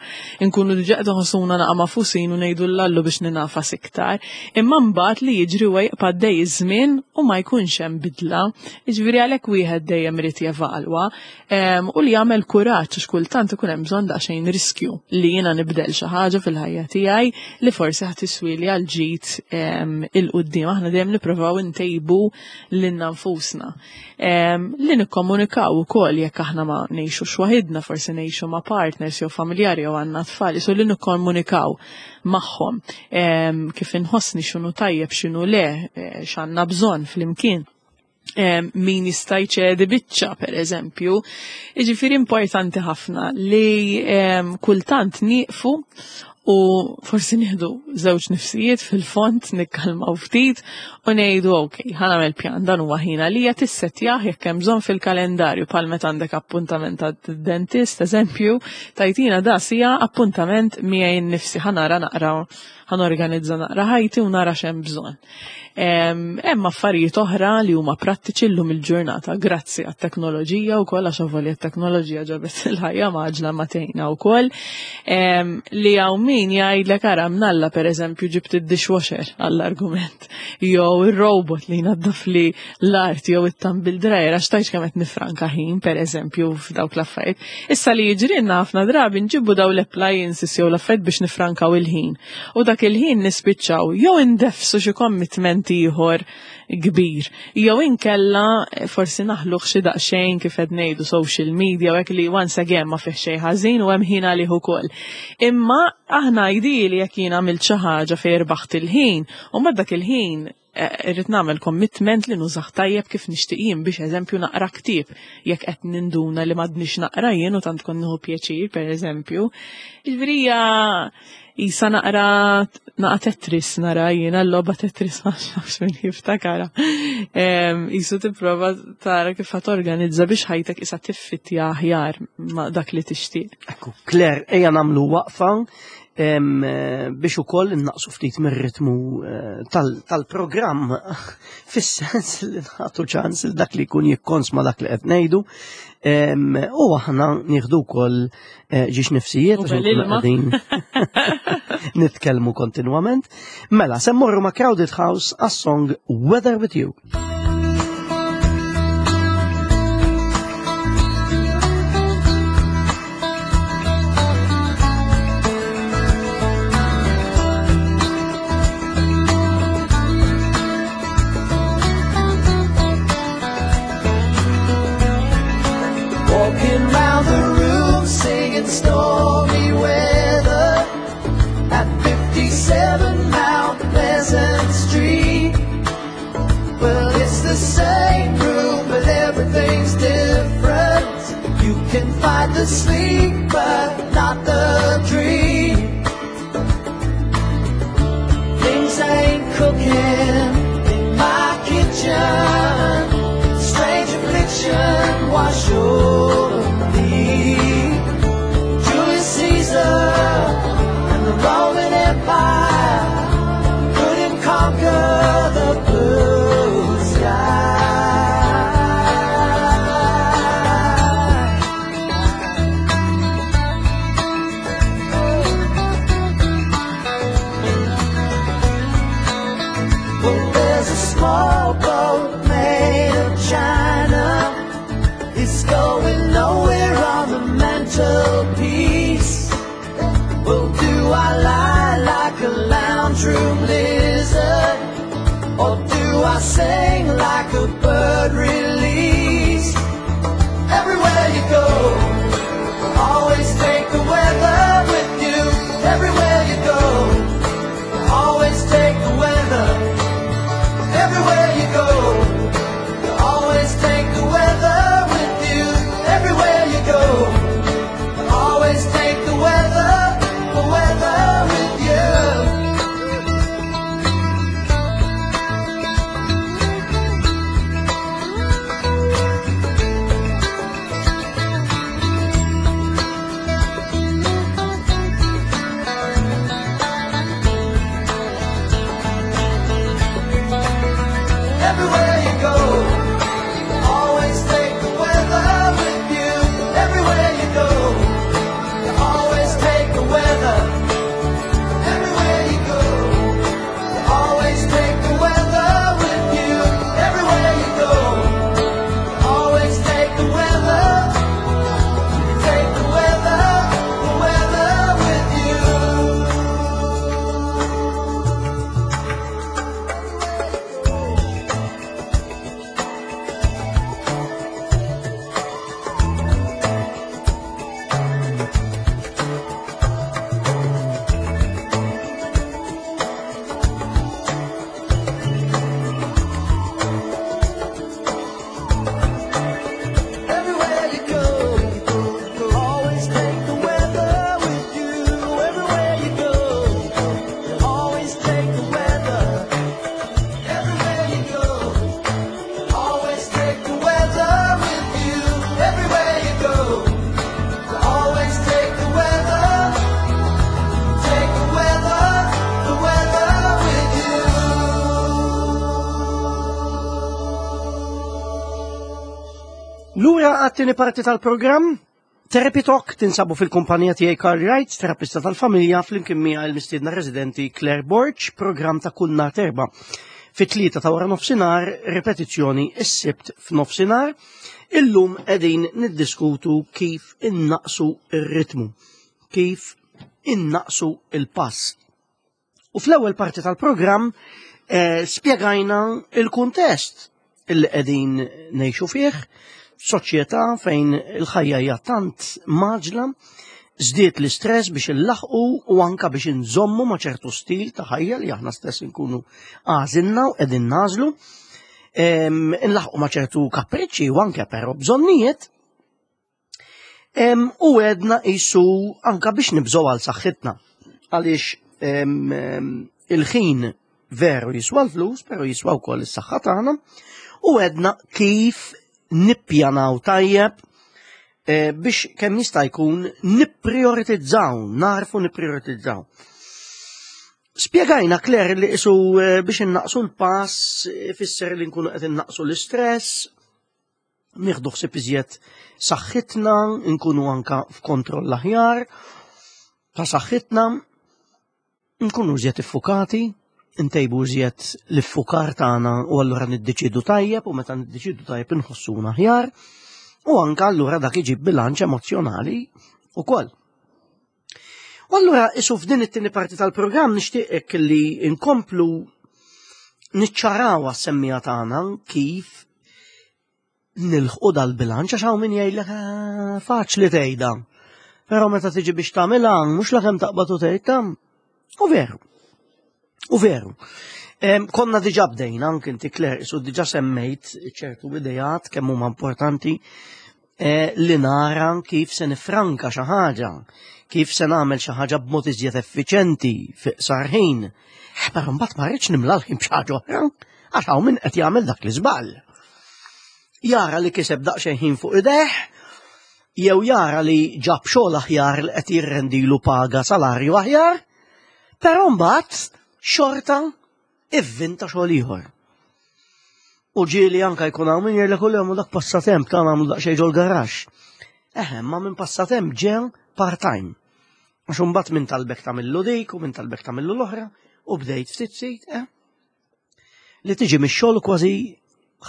nkunu diġà qed nħossuna naqa' mafusin u ngħidu l-allu biex ninafas iktar, imma mbagħad li jiġri huwa jibqa' għaddej iż-żmien u ma jkunx hemm bidla. Jiġifieri għalhekk wieħed dejjem irid jevalwa u li jagħmel kuraġġ, għax kultant ikun hemm bżonn daqsxejn riskju li jiena nibdel xi ħaġa fil-ħajja tiegħi li forsi ħa tiswili għal ġid il-quddiem. Aħna dejjem nippruvaw intejbu lilna nfusna. Li nikkomunikaw ukoll jekk aħna ma ngħixux waħidna, forsi ngħixu ma' partners jew familjari jew għandna tfal, so li nikkomunikaw magħhom kif inħossni, x'inhu tajjeb, x'inhu le, x'għandna bżonn flimkien. Min jista' jċedi biċċa per eżempju. Jiġifieri importanti ħafna li kultant nieqfu u forsi nieħdu żewġ nifsijiet fil-fond, nikkalmaw ftit u ngħidu ok, ħa nagħmel pjan, dan huwa ħin għalija, tissettjah jekk hemm bżonn fil-kalendarju, bħal meta għandek appuntament għad-dentist, eżempju, tajtina da sija appuntament miegħi nnifsi, ħa nara naqra, ħa norganizza naqra ħajti u nara x'hemm bżonn. Hemm affarijiet oħra li huma prattiċi llum il-ġurnata grazzi għat-teknoloġija wkoll, għax avolja t-teknoloġija ġabet il-ħajja maġla ma tgħinna wkoll, li hawn min jgħidlek ara mnalla pereżempju ġibt id-dishwasher għall-argument, jew ir-robot li jnaddaf li l-art jew it-tumble dryer, għax tajx kemm qed nifranka ħin pereżempju f'dawk l-affarijiet. Issa li jiġrilna ħafna drabi nġibu daw l-appliances jew l-affarijiet biex nifrankaw il-ħin. U dak il-ħin nispiċċaw jew indefsu xi commitment ieħor kbir, jew inkella forsi naħluh xi daqsxejn kif qed ngħidu social media u hekk, li once again ma fih xejn ħażin u hemm ħin għalih ukoll. Imma aħna ideali jekk jien għamilt xi ħaġa fejn irbaħt il-ħin, u ma dak il-ħin irrid nagħmel commitment li nużah tajjeb kif nixtieq jien, biex eżempju naqra ktieb jekk qed ninduna li m'għadniex naqra jien u tant kont nieħu pjaċir pereżempju. Jiġifieri hija isa naqra naqa Tetris, nara jiena l-logħba Tetris, ma nafx min jiftakara. Isu tipprova tara kif ħa torganizza biex ħajtek isa tiffittja aħjar ma' dak li tixtieq. Ekku, Claire, ejja nagħmlu waqfa biex ukoll innaqsu ftit mir-ritmu tal-programm, fis-sens li nagħtu ċans il dak li jkun jikkonsma dak li qed ngħidu, u aħna nieħdu wkoll ġiex nifsijiet għax nkunu qegħdin nitkellmu kontinwament. Mela, se mmorru ma' Crowded House għas-song Weather With You. Stormy weather at fifty-seven Mount Pleasant Street. Well, it's tree, but not the dream. Things ain't cooking in my kitchen. Strange affliction wash over me. Julius Caesar and the Roman Empire couldn't conquer the blue sky. Well, there's a small boat made of china. It's going nowhere on the mantelpiece. Well, do I lie like a lounge room lizard? Or do I sing like a bird released? Everywhere you go, always take the weather with you. Everywhere you go, always take the weather. Everywhere you go, you always take the weather with you. Everywhere you go, you always take the weather, the weather with you. Everywhere you go, always take the weather with you. Everywhere you go, you always take the weather. Everywhere you go, you always take the weather with you. Everywhere you go, you always take the weather. Take the weather, the weather with you. Everywhere you go, always take the weather with you. Everywhere you go, always take the weather. Everywhere you go, always take the weather with you. Everywhere you go, always take the weather. Take the weather, the weather with you. Lura għat-tieni parti tal-programm, Therapy Talk tinsabu fil-kumpanija tiegħi Carl Wright, terapista tal-familja, flimkien miegħi l-mistiedna residenti Claire Borg, programm ta' kull nhar t'Erbgħa. Fit-tlieta ta' wara nofsinhar, ripetizzjoni is-Sibt f'nofsinhar. Illum qegħdin niddiskutu kif innaqsu ir-ritmu, kif innaqsu il-pass. U fl-ewwel parti tal-programm eh, spjegajna il-kuntest illi qegħdin ngħixu fih, soċjetà fejn il-ħajja hija tant mgħaġġla, żdied l-istress biex illaħqu u anka biex inżommu ma' ċertu stil ta' ħajja li aħna stess inkunu għażilna u qegħdin nagħżlu. Em, Inlaħqu ma' ċertu kapriċċi u anke però bżonnijiet. Em, U għedna qisu anka biex nibżgħu għal saħħitna. Għaliex em, em, il-ħin veru jiswa l-flus, pero jiswa wkoll is-saħħa tagħna. U għedna kif nippjanaw tajjeb eh, biex kemm jista' jkun nipprioritizzaw, narfu nipprioritizzaw. Spjegajna Claire li qisu eh, biex innaqsu l-pass, eh, fisser li nkunu qed innaqsu l-istress, nieħdu ħsieb iżjed saħħitna, nkunu anka f'kontroll aħjar ta' saħħitna, nkunu iżjed iffukati, ntejbu iżjed l-iffukar tagħna u allura niddeċidu tajjeb u meta niddeċidu tajjeb inħossuna aħjar u anka allura dak iġib bilanċ emozjonali ukoll. U allura qisu f'din it-tieni parti tal-programm nixtieqek li nkomplu niċċaraw għas-semmiegħa tagħna kif nilħqu dal-bilanċ għax hawn min jgħidlek "Ah, faċli tgħidha. Però meta tiġi biex tagħmilha mhux lakemm taqbad u tgħid tam. U veru. U veru. Em, Konna diġà bdejna, anke inti Claire, qisu diġà semmejt ċertu idejat kemm huma importanti eh, li nara kif se nifranka xi ħaġa, kif se nagħmel xi ħaġa b'mod iżjed effiċenti fi iqsar ħin. Eh, però mbagħad ma rridx nimla l-ħin b'xi ħaġa oħra, għax hawn min qed jagħmel dak l-iżball. Jara li kiseb daqsxejn ħin fuq idejh, jew jara li ġab xogħol aħjar li qed jirrendilu paga salarju aħjar, però mbagħad xorta ivvinta xogħol ieħor. U ġieli anka jkun hawn min jgħidlek kull dak passatemp ta' nagħmlu daqsxejn ġol-garaxx. Eħe, ma minn passatemp ġew part-time. Għax imbagħad minn talbek tagħmillu dik u minn talbek tagħmillu l-oħra u bdejt ftit ftit, eh? Li tiġi mix-xogħol kważi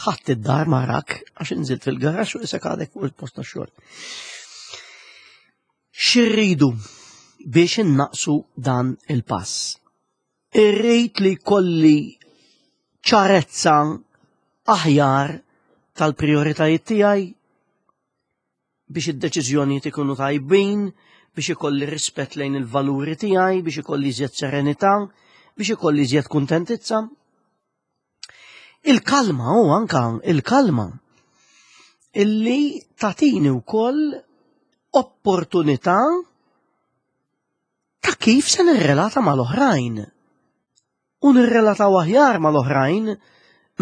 ħadd id-dar marak għax inżilt fil-garaxx u isek għadek fuq il-post tax-xogħol. X'irridu biex innaqsu dan il-pass? Irrid li jkolli ċarezza aħjar tal-prioritajiet tiegħi biex id-deċiżjonijiet ikunu tajbin, biex ikolli rispett lejn il-valuri tiegħi, biex ikolli iżjed serenità, biex ikolli iżjed kuntentizza. Il-kalma u anka il-kalma illi tatini wkoll opportunità ta' kif se nirrelata mal-oħrajn. U nirrelataw aħjar mal-oħrajn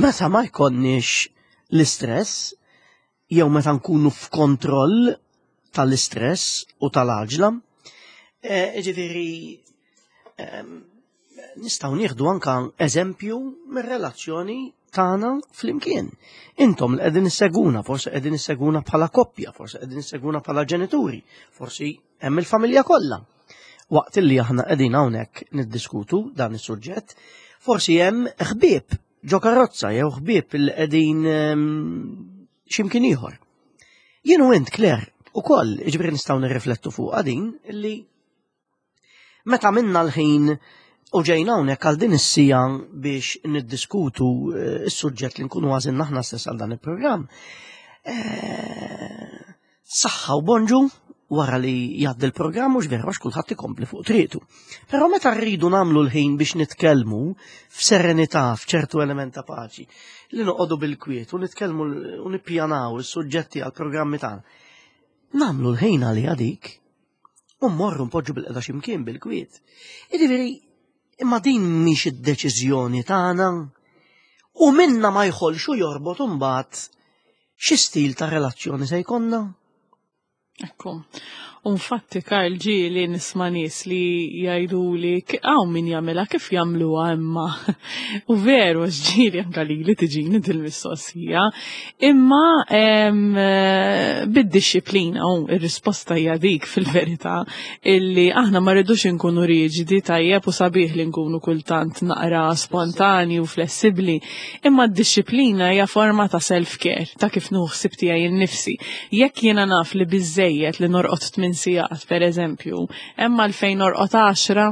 meta ma jkollniex l-istress jew meta nkunu f'kontroll tal-istress u tal-għaġla. E, ġifieri nistgħu nieħdu anka eżempju mir-relazzjoni tagħna flimkien. Intom li qegħdin isseguna, forsi qegħdin isseguna bħala koppja, forsi qegħdin isseguna bħala ġenituri, forsi hemm il-familja kollha. Waqt li aħna qegħdin hawnhekk niddiskutu dan is-suġġett, forsi hemm ħbieb ġo karozza jew ħbieb li qegħdin x'imkien ieħor. Jien u int Claire ukoll jiġifieri nistgħu nirriflettu fuq din illi meta minna l-ħin u ġejna hawnhekk għal din is-siegħa biex niddiskutu eh, is-suġġett li nkunu għażilna aħna stess għal dan il-programm. Eh, saħħa u bonġu wara li jgħaddi l-programm mhux veru għax kulħadd ikompli fuq triqtu. Però meta rridu nagħmlu l-ħin biex nitkellmu f'serenità, f'ċertu element ta' paċi, li noqogħdu bil-kwiet u nitkellmu u nippjanaw is-suġġetti għall-programmi tagħna. Nagħmlu l-ħin għalija dik u mmorru npoġġu bilqiegħda x'imkien bil-kwiet. Jiġifieri, imma din mhix id-deċiżjoni tagħna u minna ma jħolx u jorbot imbagħad xi stil ta' relazzjoni se jkollna. Ekku. Infatti, Karl, ġieli nisma' nies li jgħidu li hawn min jagħmilha kif jagħmluha imma. U veru, ġieli anka li li tiġini dil-mistoqsija. Imma bid-disciplina, u ir-risposta hija dik fil-verità, illi aħna ma rridux inkunu riġidi tajjeb u sabiħ li nkunu kultant naqra spontani u flessibbli. Imma d-disciplina hija forma ta' self-care, ta' kif nieħu ħsieb tiegħi nnifsi. Jekk jiena naf li biżejjed li norqod tmien sigħat per eżempju, hemm għalfejn norqod għaxra,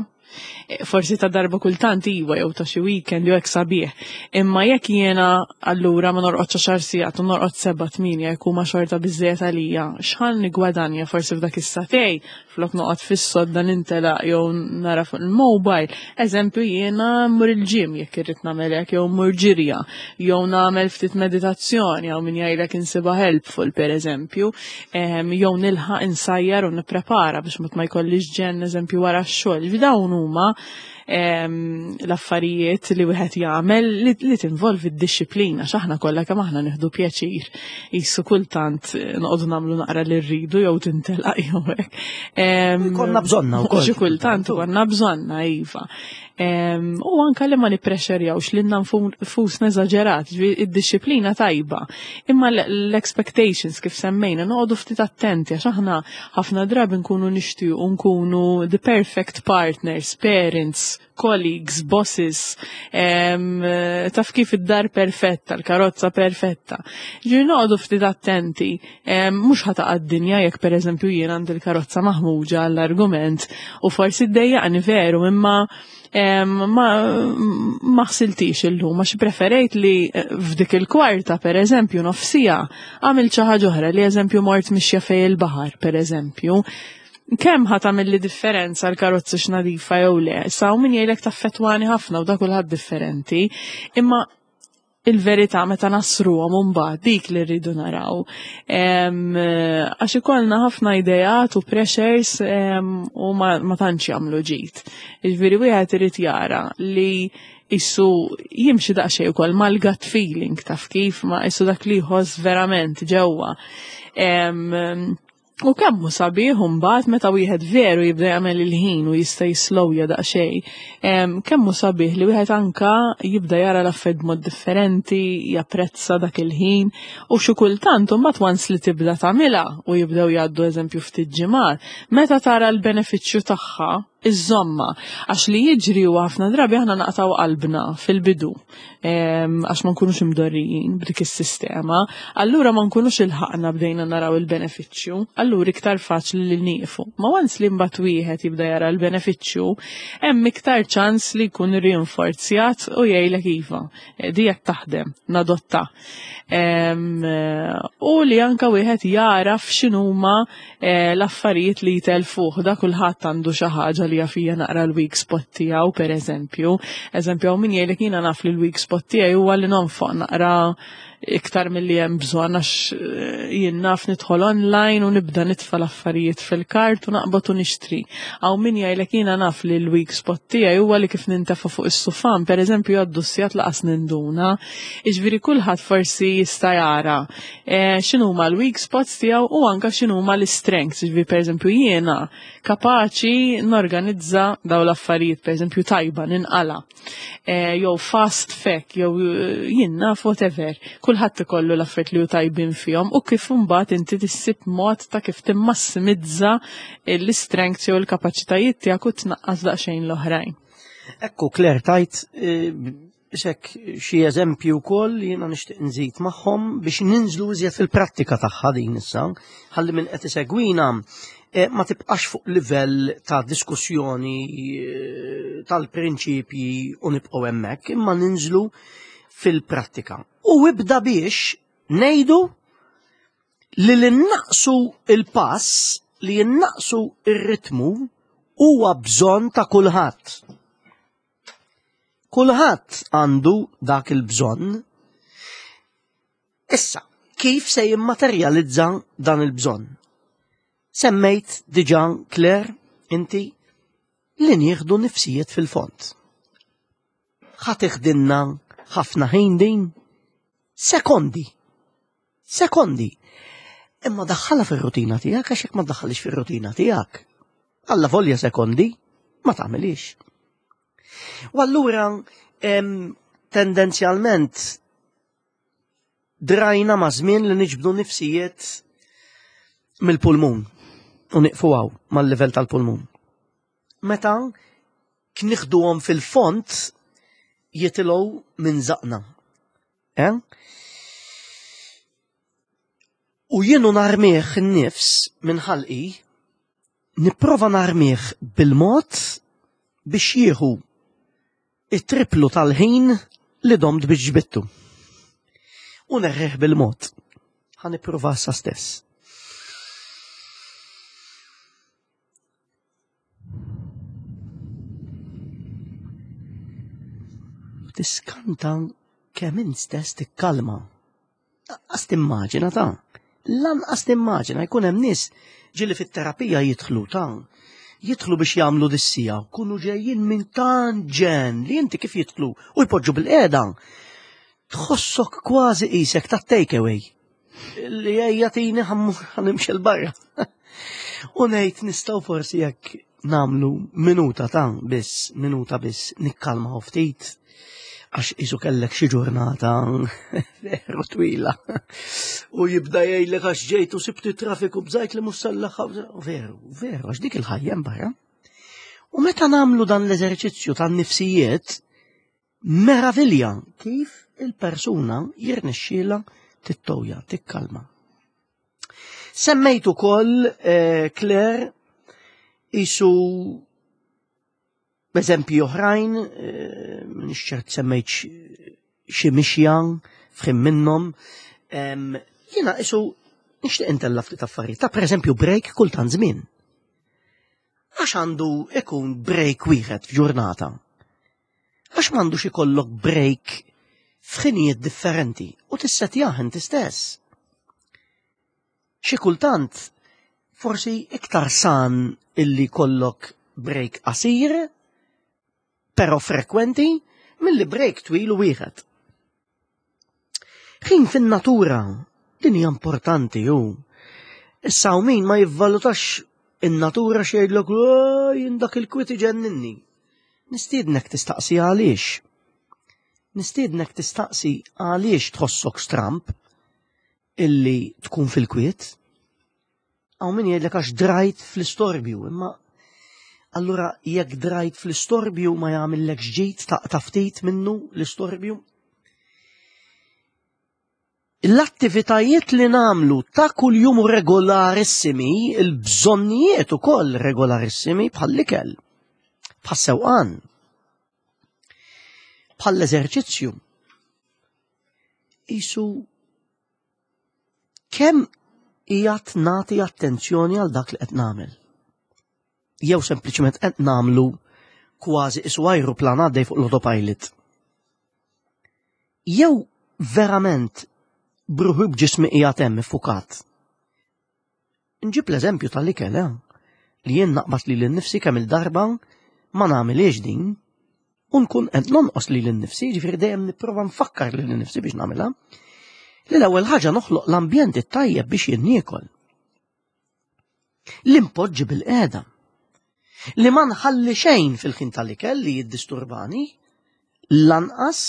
forsi ta' darba kultant iwa jew ta' xi weekend jew hekk sabiħ. Imma jekk jiena allura ma norqodx għaxar sigħat u norqod seba' tmienja jekk huma xorta biżejjed għalija, x'ħa niggwadanja forsi f'dak is-sagħtejn flok noqgħod fis-sodda nintelaq jew nara fuq il-mobile. Eżempju jiena mmur il-gym jekk irrid nagħmel hekk jew mmur ġirja, jew nagħmel ftit meditazzjoni jew min jgħidlek insibha helpful pereżempju, jew nilħaq insajjar u nipprepara biex ma jkollix ġenn eżempju wara x-xogħol. Dawn huma l-affarijiet li wieħed jagħmel li, li tinvolvi d-disciplina x'aħna kollha kemm aħna nieħdu pjaċir. Qisu kultant noqogħdu nagħmlu naqra li rridu jew tintelaq jew hekk. Konna bżonna wkoll. Xi kultant konna bżonna iva. U anka li ma nipprexxerjawx lilna nfusna eżaġerat, id-disciplina tajba. Imma l-expectations kif semmejna noqogħdu ftit attenti għax aħna ħafna drabi nkunu nixtiequ nkunu the perfect partners, parents, colleagues, bosses, em, taf kif id-dar perfetta, l-karozza perfetta. Ġifieri noqogħdu ftit attenti, em, mhux ħa taqa' d-dinja jekk pereżempju jien għandi l-karozza maħmuġa għall-argument u forsi ddejjaqni veru imma em, ma, ma ħsiltix illum, għax preferejt li eh, f'dik il-kwarta per eżempju nofsija għamilt xi ħaġa oħra li eżempju mort mixja fejn il-baħar per eżempju. Kemm ħa tagħmilli differenza l-karozza x'nadifa jew le, sa min jgħidlek taffettwani ħafna u da kulħadd differenti, imma Il-verità meta nasruhom mbagħad dik li rridu naraw. Għax ikollna ħafna ideat u pressures u ma, ma tantx jagħmlu ġid. Jiġifieri wieħed irid jara li issu jimxi daqsxejn ukoll mal-gut feeling, taf kif, ma issu dak li jħoss verament ġewwa. U kemm hu sabiħ mbagħad meta wieħed veru jibda jagħmel il-ħin u jista' jislowja daqsxejn. Kemm hu sabiħ li wieħed anka jibda jara l-affarijiet b'mod differenti, japprezza dak il-ħin u xi kultant imbagħad once li tibda tagħmilha u jibdew jgħaddu eżempju ftit ġimgħat, meta tara l-benefiċċju tagħha, iżomma. Għax li jiġri u ħafna drabi aħna naqtaw qalbna fil-bidu, għax ma nkunux imdorrijin b'dik is-sistema, allura ma nkunux ilħaqna bdejna naraw il-benefiċċju, allura iktar faċli li nieqfu. Ma once li mbagħad wieħed jibda jara l-benefiċċju, hemm iktar ċans li jkun rinforzjat u jgħidlek iva, di qed taħdem, nadotta. U li anka wieħed jaraf x'inhuma eh, l-affarijiet li jtelfuh, da kulħadd għandu xi ħaġa li jafija naqra l-weak spot tiegħu, per eżempju. Eżempju, min jgħidlek jiena naf li l-weak spot tiegħi huwa li nonfoq naqra iktar milli hemm bżonn għax eh, jien naf nidħol online u nibda nitfa' l-affarijiet fil-cart u naqbad u nixtri. Aw min jgħidlek jiena naf li l-weak spot tiegħi huwa li kif nintefa' fuq is-sufan, per eżempju, jgħaddu sigħat lanqas ninduna. Jiġifieri kulħadd forsi jista' jara eh, x'inhuma l-weak spots tiegħu u anke x'inhuma l-strengths. Jiġifieri per eżempju jiena kapaċi norganizza daw l-affarijiet, per eżempju tajba ninqala. Eh, jew fast fek, jew jien naf whatever. Kulħadd ikollu l-affarijiet li hu tajbin fihom u kif imbagħad inti tissib mod ta' kif timmassimizza l-strengths jew l-kapaċitajiet tiegħek u tnaqqas daqsxejn l-oħrajn. Ekku, Claire, tajt eh, xek xi eżempju wkoll li jiena nixtieq nżid magħhom biex ninżlu iżjed fil-prattika tagħha din issa, ħalli min qed isegwina eh, ma tibqax fuq livell ta' diskussjoni eh, tal-prinċipji u nibqgħu hemmhekk, imma ninżlu fil-prattika. U ibda biex ngħidu li li naqsu il-pass, li naqsu ir-ritmu huwa bżonn ta' kulħadd. Kulħadd għandu dak il-bżonn. Issa, kif se jimmaterjalizza dan il-bżonn? Semmejt diġà, Claire, inti li nieħdu nifsijiet fil-fond. Ħa tiħdilna ħafna ħin din? Sekondi. Sekondi. Imma daħħalha fir-rutina tiegħek, għax jekk ma daħħalix fir-rutina tiegħek, alla volja sekondi, ma tagħmilix. U allura tendenzjalment drajna ma' żmien li niġbdu nifsijiet mill-pulmun u niqfu hawn mal-livell tal-pulmun. Meta kniħduhom fil-fond jitilgħu minn żaqna. Eh? U jienu narmih in-nifs minn ħalqi, nipprova narmih bil-mod biex jieħu it-triplu tal-ħin li domt biex ġbittu. U nerħih bil-mod. Ħa nipprova sa stess. Tiskanta kemm int stess tikkalma. Lanqas timmaġina ta' lanqas timmaġina jkun hemm nies ġieli fit-terapija jidħlu ta' jidħlu biex jagħmlu dis-siegħa, kunu ġejjin minn tant ġen li inti kif jidħlu u jpoġġu bil-qiegħda. Tħossok kważi qisek ta' takeaway. Li ejja tini ħa nimxi 'l barra. U ngħid nistgħu forsi jekk nagħmlu minuta ta' biss, minuta biss nikkalmaw ftit għax isu kellek xi ġurnata veru twila. U jibda jgħidlek għax ġejt u sibti traffiku bżajt li mhux sallaħ. Veru, veru, għax dik il-ħajja barra. U meta nagħmlu dan l-eżerċizzju tan-nifsijiet, meravilja kif il-persuna jirnexxiela tittowja, tikkalma. Semmejt ukoll eh, Claire isu eżempji oħrajn, eh, m'iniex ċert semmejt xi mixja f'ħin minnhom. Jiena isu nixtieq intella ftit affarijiet. Ta' pereżempju break kultant żmien. Għax għandu ikun break wieħed f'ġurnata. Għax m'għandux ikollok break F'ħinijiet differenti u tissetjah inti stess. Xi kultant forsi iktar san illi jkollok break qasir, però frekwenti, milli break twil u wieħed. Ħin fin-natura, din hija importanti ju. Issa hawn min ma jivvalutax in-natura, x'jgħidlek, "Jien dak il-kwiet iġenninni." Nistiednek tistaqsi għaliex. Nistiednek tistaqsi għaliex tħossok stramp illi tkun fil-kwiet. Hawn min jgħidlek għax drajt fl-istorbju, imma allura jekk drajt fl-istorbju, ma jagħmillek ġid taqta' ftit minnu l-istorbju? L-attivitajiet li nagħmlu ta' kuljum regolarissimi, il-bżonnijiet ukoll regolarissimi, bħall-ikel, bħas-sewqan, bħall-eżerċizzju. Isu kemm qiegħed nagħti attenzjoni għal dak li qed nagħmel? Jew sempliċement qed nagħmlu kważi isu ajruplan għaddej fuq l-autopilot? Jew verament b'ruħi, b'ġismi qiegħed hemm iffukat? Nġib l-eżempju tal-ikel, eh? Li jien naqbad li l-nifsi kemm il-darba ma nagħmilx din u nkun qed nonqos li l-nifsi, ġifieri dejjem nipprova nfakkar lil nifsi biex nagħmilha. Li l-ewwel ħaġa noħloq l-ambjent it-tajjeb biex jien niekol. Li npoġġi bilqiegħda. Li ma nħalli xejn fil-ħin tal-ikel li jiddisturbani, lanqas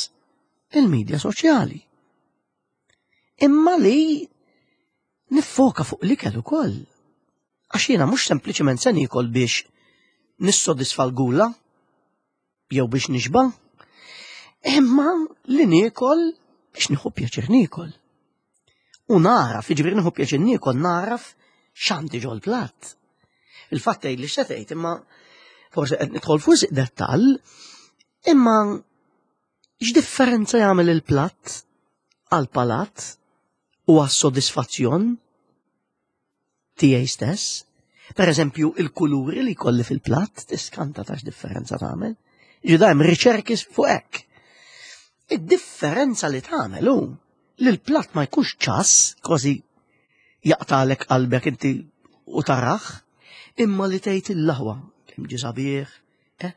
il-medja soċjali. Imma li niffoka fuq l-ikel ukoll. Għax jiena mhux sempliċement se niekol biex nissodisfa l-gula jew biex nixba, imma li niekol biex nieħu pjaċir niekol. U naraf, jiġifieri nieħu pjaċir niekol, naraf x'għandi ġol-platt. Il-fatt tgħid li x'se imma forsi qed nidħol fuq dettall, imma x'differenza jagħmel il-platt għal-palat u għas-sodisfazzjon tiegħi stess? Per eżempju, il-kuluri li kolli fil-platt, tiskanta ta' differenza tagħmel. Ġida hemm riċerki fuq hekk. Id-differenza li tagħmel hu li l-platt ma jkunx ċass, kważi jaqtalek qalbek inti u taraħ, imma li tgħid, "Il-laħwa, kemm ġie sabiħ, eh?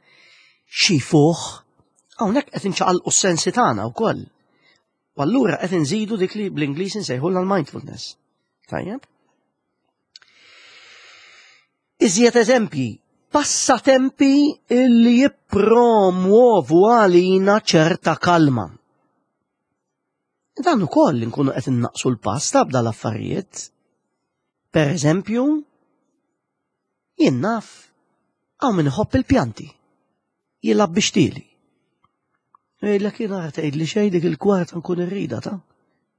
Xi fuħ." Hawnhekk qed inċaqalqu s-sensi tagħna wkoll. U allura qed inżidu dik li bl-Ingliż insejħu l-mindfulness. Tajjeb? Iżjed eżempji, passatempi li jippromuovu għalina ċerta kalma. Dan ukoll nkunu qed innaqsu l-pass ta' l-affarijiet. Per eżempju, jien naf hawn min iħobb il-pjanti. Jilgħab bix-xtieli. Jgħidlek, "Jien ara tgħid li xejn, dik il-kwarta nkun irrida ta'."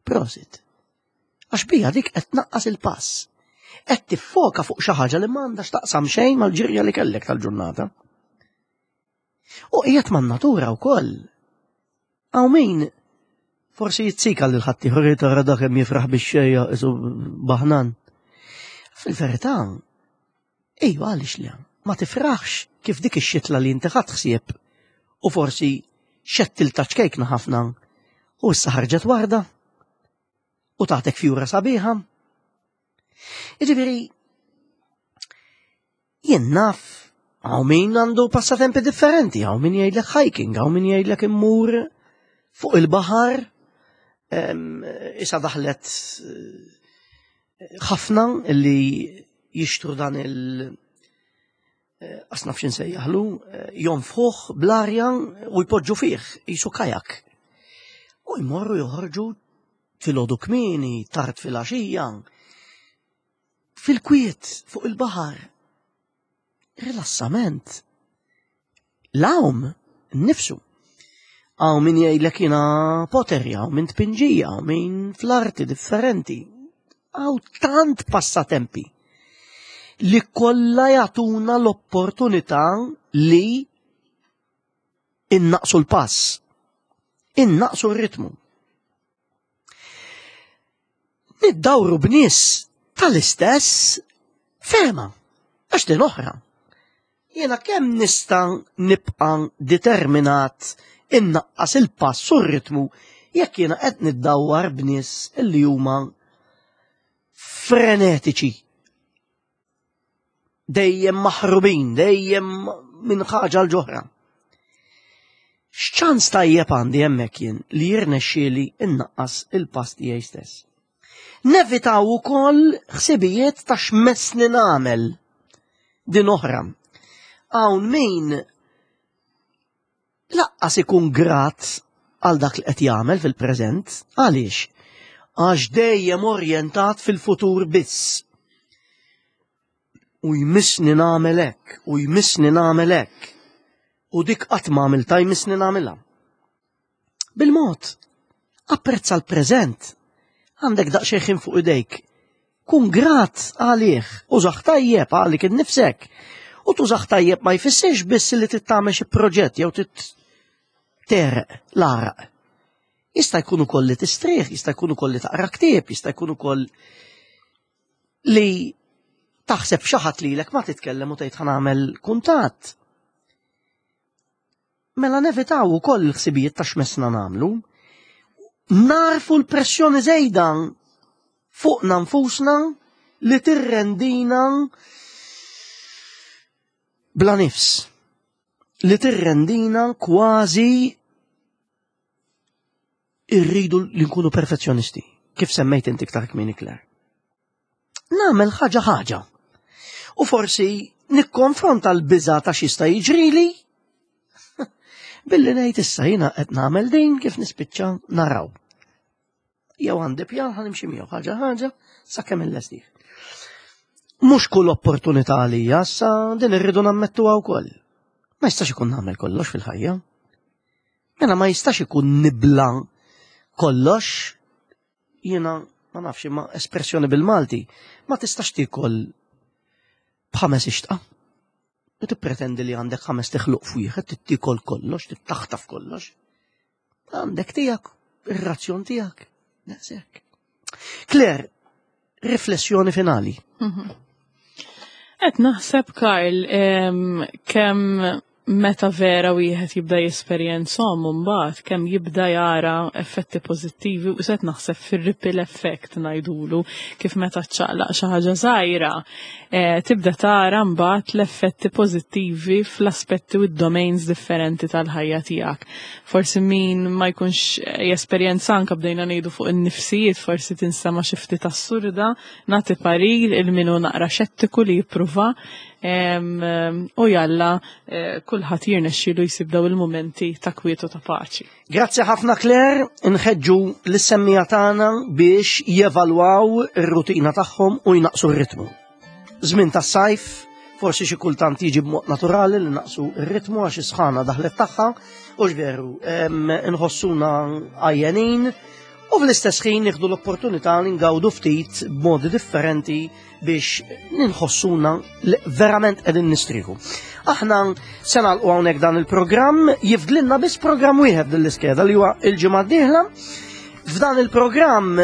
Prosit. Għax bija dik qed tnaqqas il-pass. Qed tiffoka fuq xi ħaġa li m'għandax taqsam xejn mal-ġirja li kellek tal-ġurnata. U qiegħed man-natura wkoll. Hawn min forsi jizzika lil ħaddieħor, "Tara dak hemm jifraħ bix-xejja, isu baħnan." Fil-verità, ejju, għaliex li ma tifraħx kif dik ix-xitla li inti ħadt ħsieb u forsi xettiltha ċkejkna ħafna u issa ħarġet warda u tatek fjura sabiħa? Jiġifieri, jien naf, hawn min għandu passatempi differenti, hawn min jgħidlek hiking, hawn min jgħidlek immur fuq il-baħar, issa daħlet eh, ħafna li jixtru dan il- eh, asnaf x'insejjaħlu, eh, jonfħuh bl-arja u jpoġġu fih, jisu kajak. U jmorru joħorġu filgħodu kmieni, tard fil-għaxija, fil-kwiet fuq il-baħar. Rilassament. L-għawm nifsu. Hawn min jgħidlek jiena pottery, hawn min tpinġija, hawn min fl-arti differenti. Hawn tant passatempi li kollha jagħtuna l-opportunità li innaqsu l-pass, innaqsu r-ritmu. Niddawru b'nies tal-istess fehma, għax din oħra. Jiena kemm nista' nibqa' determinat innaqqas il-pass u r-ritmu Jekk jiena qed niddawwar b'nies illi huma frenetiċi, dejjem maħrubin, dejjem minn ħaġa għal oħra. X'ċans tajjeb għandi hemmhekk jien li jirnexxieli innaqqas il-pass tiegħi stess? Nevitaw ukoll ħsibijiet ta' x'messni nagħmel din oħra. Hawn min lanqas ikun grat għal dak li qed jagħmel fil-preżent. Għaliex? Għax dejjem orjentat fil-futur biss. U jmissni nagħmel hekk, u jmissni nagħmel hekk. U dik qatt ma għamilta, jmissni nagħmilha. Bil-mod, apprezza l-preżent. Għandek daqsxejn ħin fuq idejk. Kun grat għalih, użah tajjeb għalik innifsek. U tużah tajjeb ma jfissirx biss li trid tagħmel xi proġett jew trid tegħreq l-għaraq. Jista' jkun ukoll li tistrieħ, jista' jkun ukoll li taqra ktieb, jista' jkun ukoll li taħseb xi ħadd lilek ma titkellem u tgħid ħa nagħmel kuntatt. Mela nevitaw ukoll il-ħsibijiet ta' x'messna nagħmlu. Narfu l-pressjoni żejda fuqna nfusna li tirrendina bla nifs, li tirrendina kważi irridu li nkunu perfezzjonisti, kif semmejt inti iktar kmieni, Claire. Nagħmel ħaġa ħaġa. U forsi nikkonfronta l-biża ta' x'jista' jiġrili billi ngħid issa jiena qed nagħmel din, kif nispiċċa naraw. Jew għandi pjan, ħa nimxi miegħu ħaġa ħaġa sakemm illestih. Mhux kull opportunità għalija, issa din irridu nammettuha wkoll. Ma jistax ikun nagħmel kollox fil-ħajja. Mela ma jistax ikun nibla kollox. Jiena ma nafx ma espressjoni bil-Malti, ma tistax tikol b'ħames ixtqa. U tippretendi li għandek ħames tiħluq f'wieħed, tikol kollox, tittaħtaf kollox. Għandek tiegħek, ir-razzjon tiegħek. Daqshekk. Claire, riflessjoni finali. Qed naħseb, Karl, em, kemm meta vera wieħed jibda jesperjenzhom mbagħad kemm jibda jara effetti pożittivi, u set naħseb fir-ripple effect ngħidulu, kif meta ċċaqlaq xi ħaġa żgħira eh, tibda tara mbagħad l-effetti pożittivi fl-aspetti u d-domains differenti tal-ħajja tiegħek. Forsi min ma jkunx jesperjenza, anke bdejna ngħidu fuq in-nifsijiet, forsi tinstema' xi ftit assurda, nagħti parir lil min hu naqra xettiku li jippruva em, u jalla eh, kulħadd jirnexxielu jsib daw il-mumenti ta' kwietu, ta' paċi. Grazzi ħafna, Claire, nħeġġu lis-semmiegħa tagħna biex jevalwaw ir-rutina tagħhom u jnaqsu r-ritmu. Żmien tas-sajf, forsi xi kultant jiġi b'mod naturali li naqsu r-ritmu għax is-sħana daħlet tagħha u x'veru, em, nħossuna għajjenin u fl-istess ħin nieħdu l-opportunità li ngawdu ftit b'modi differenti biex ninħossuna li verament qegħdin nistrieħu. Aħna se nagħlqu hawnhekk dan il-programm, jifdlilna biss programm wieħed din l-iskeda li huwa il-ġimgħa d-dieħla. F'dan il-programm,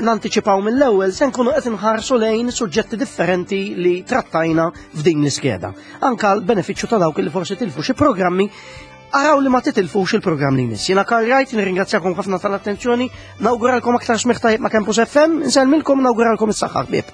nantiċipaw mill-ewwel, se nkunu qed inħarsu lejn suġġetti differenti li trattajna f'din l-iskeda. Anka l-benefiċċju ta' dawk li forsi tilfu xi programmi, araw li ma titilfux il-programm li jmiss. Jiena Karl Wright, nirringrazzjakom ħafna tal-attenzjoni, nawguralkom aktar smigħ tajjeb ma' Campus F M, nsellmilkom, nawguralkom is-saħħa ħbieb.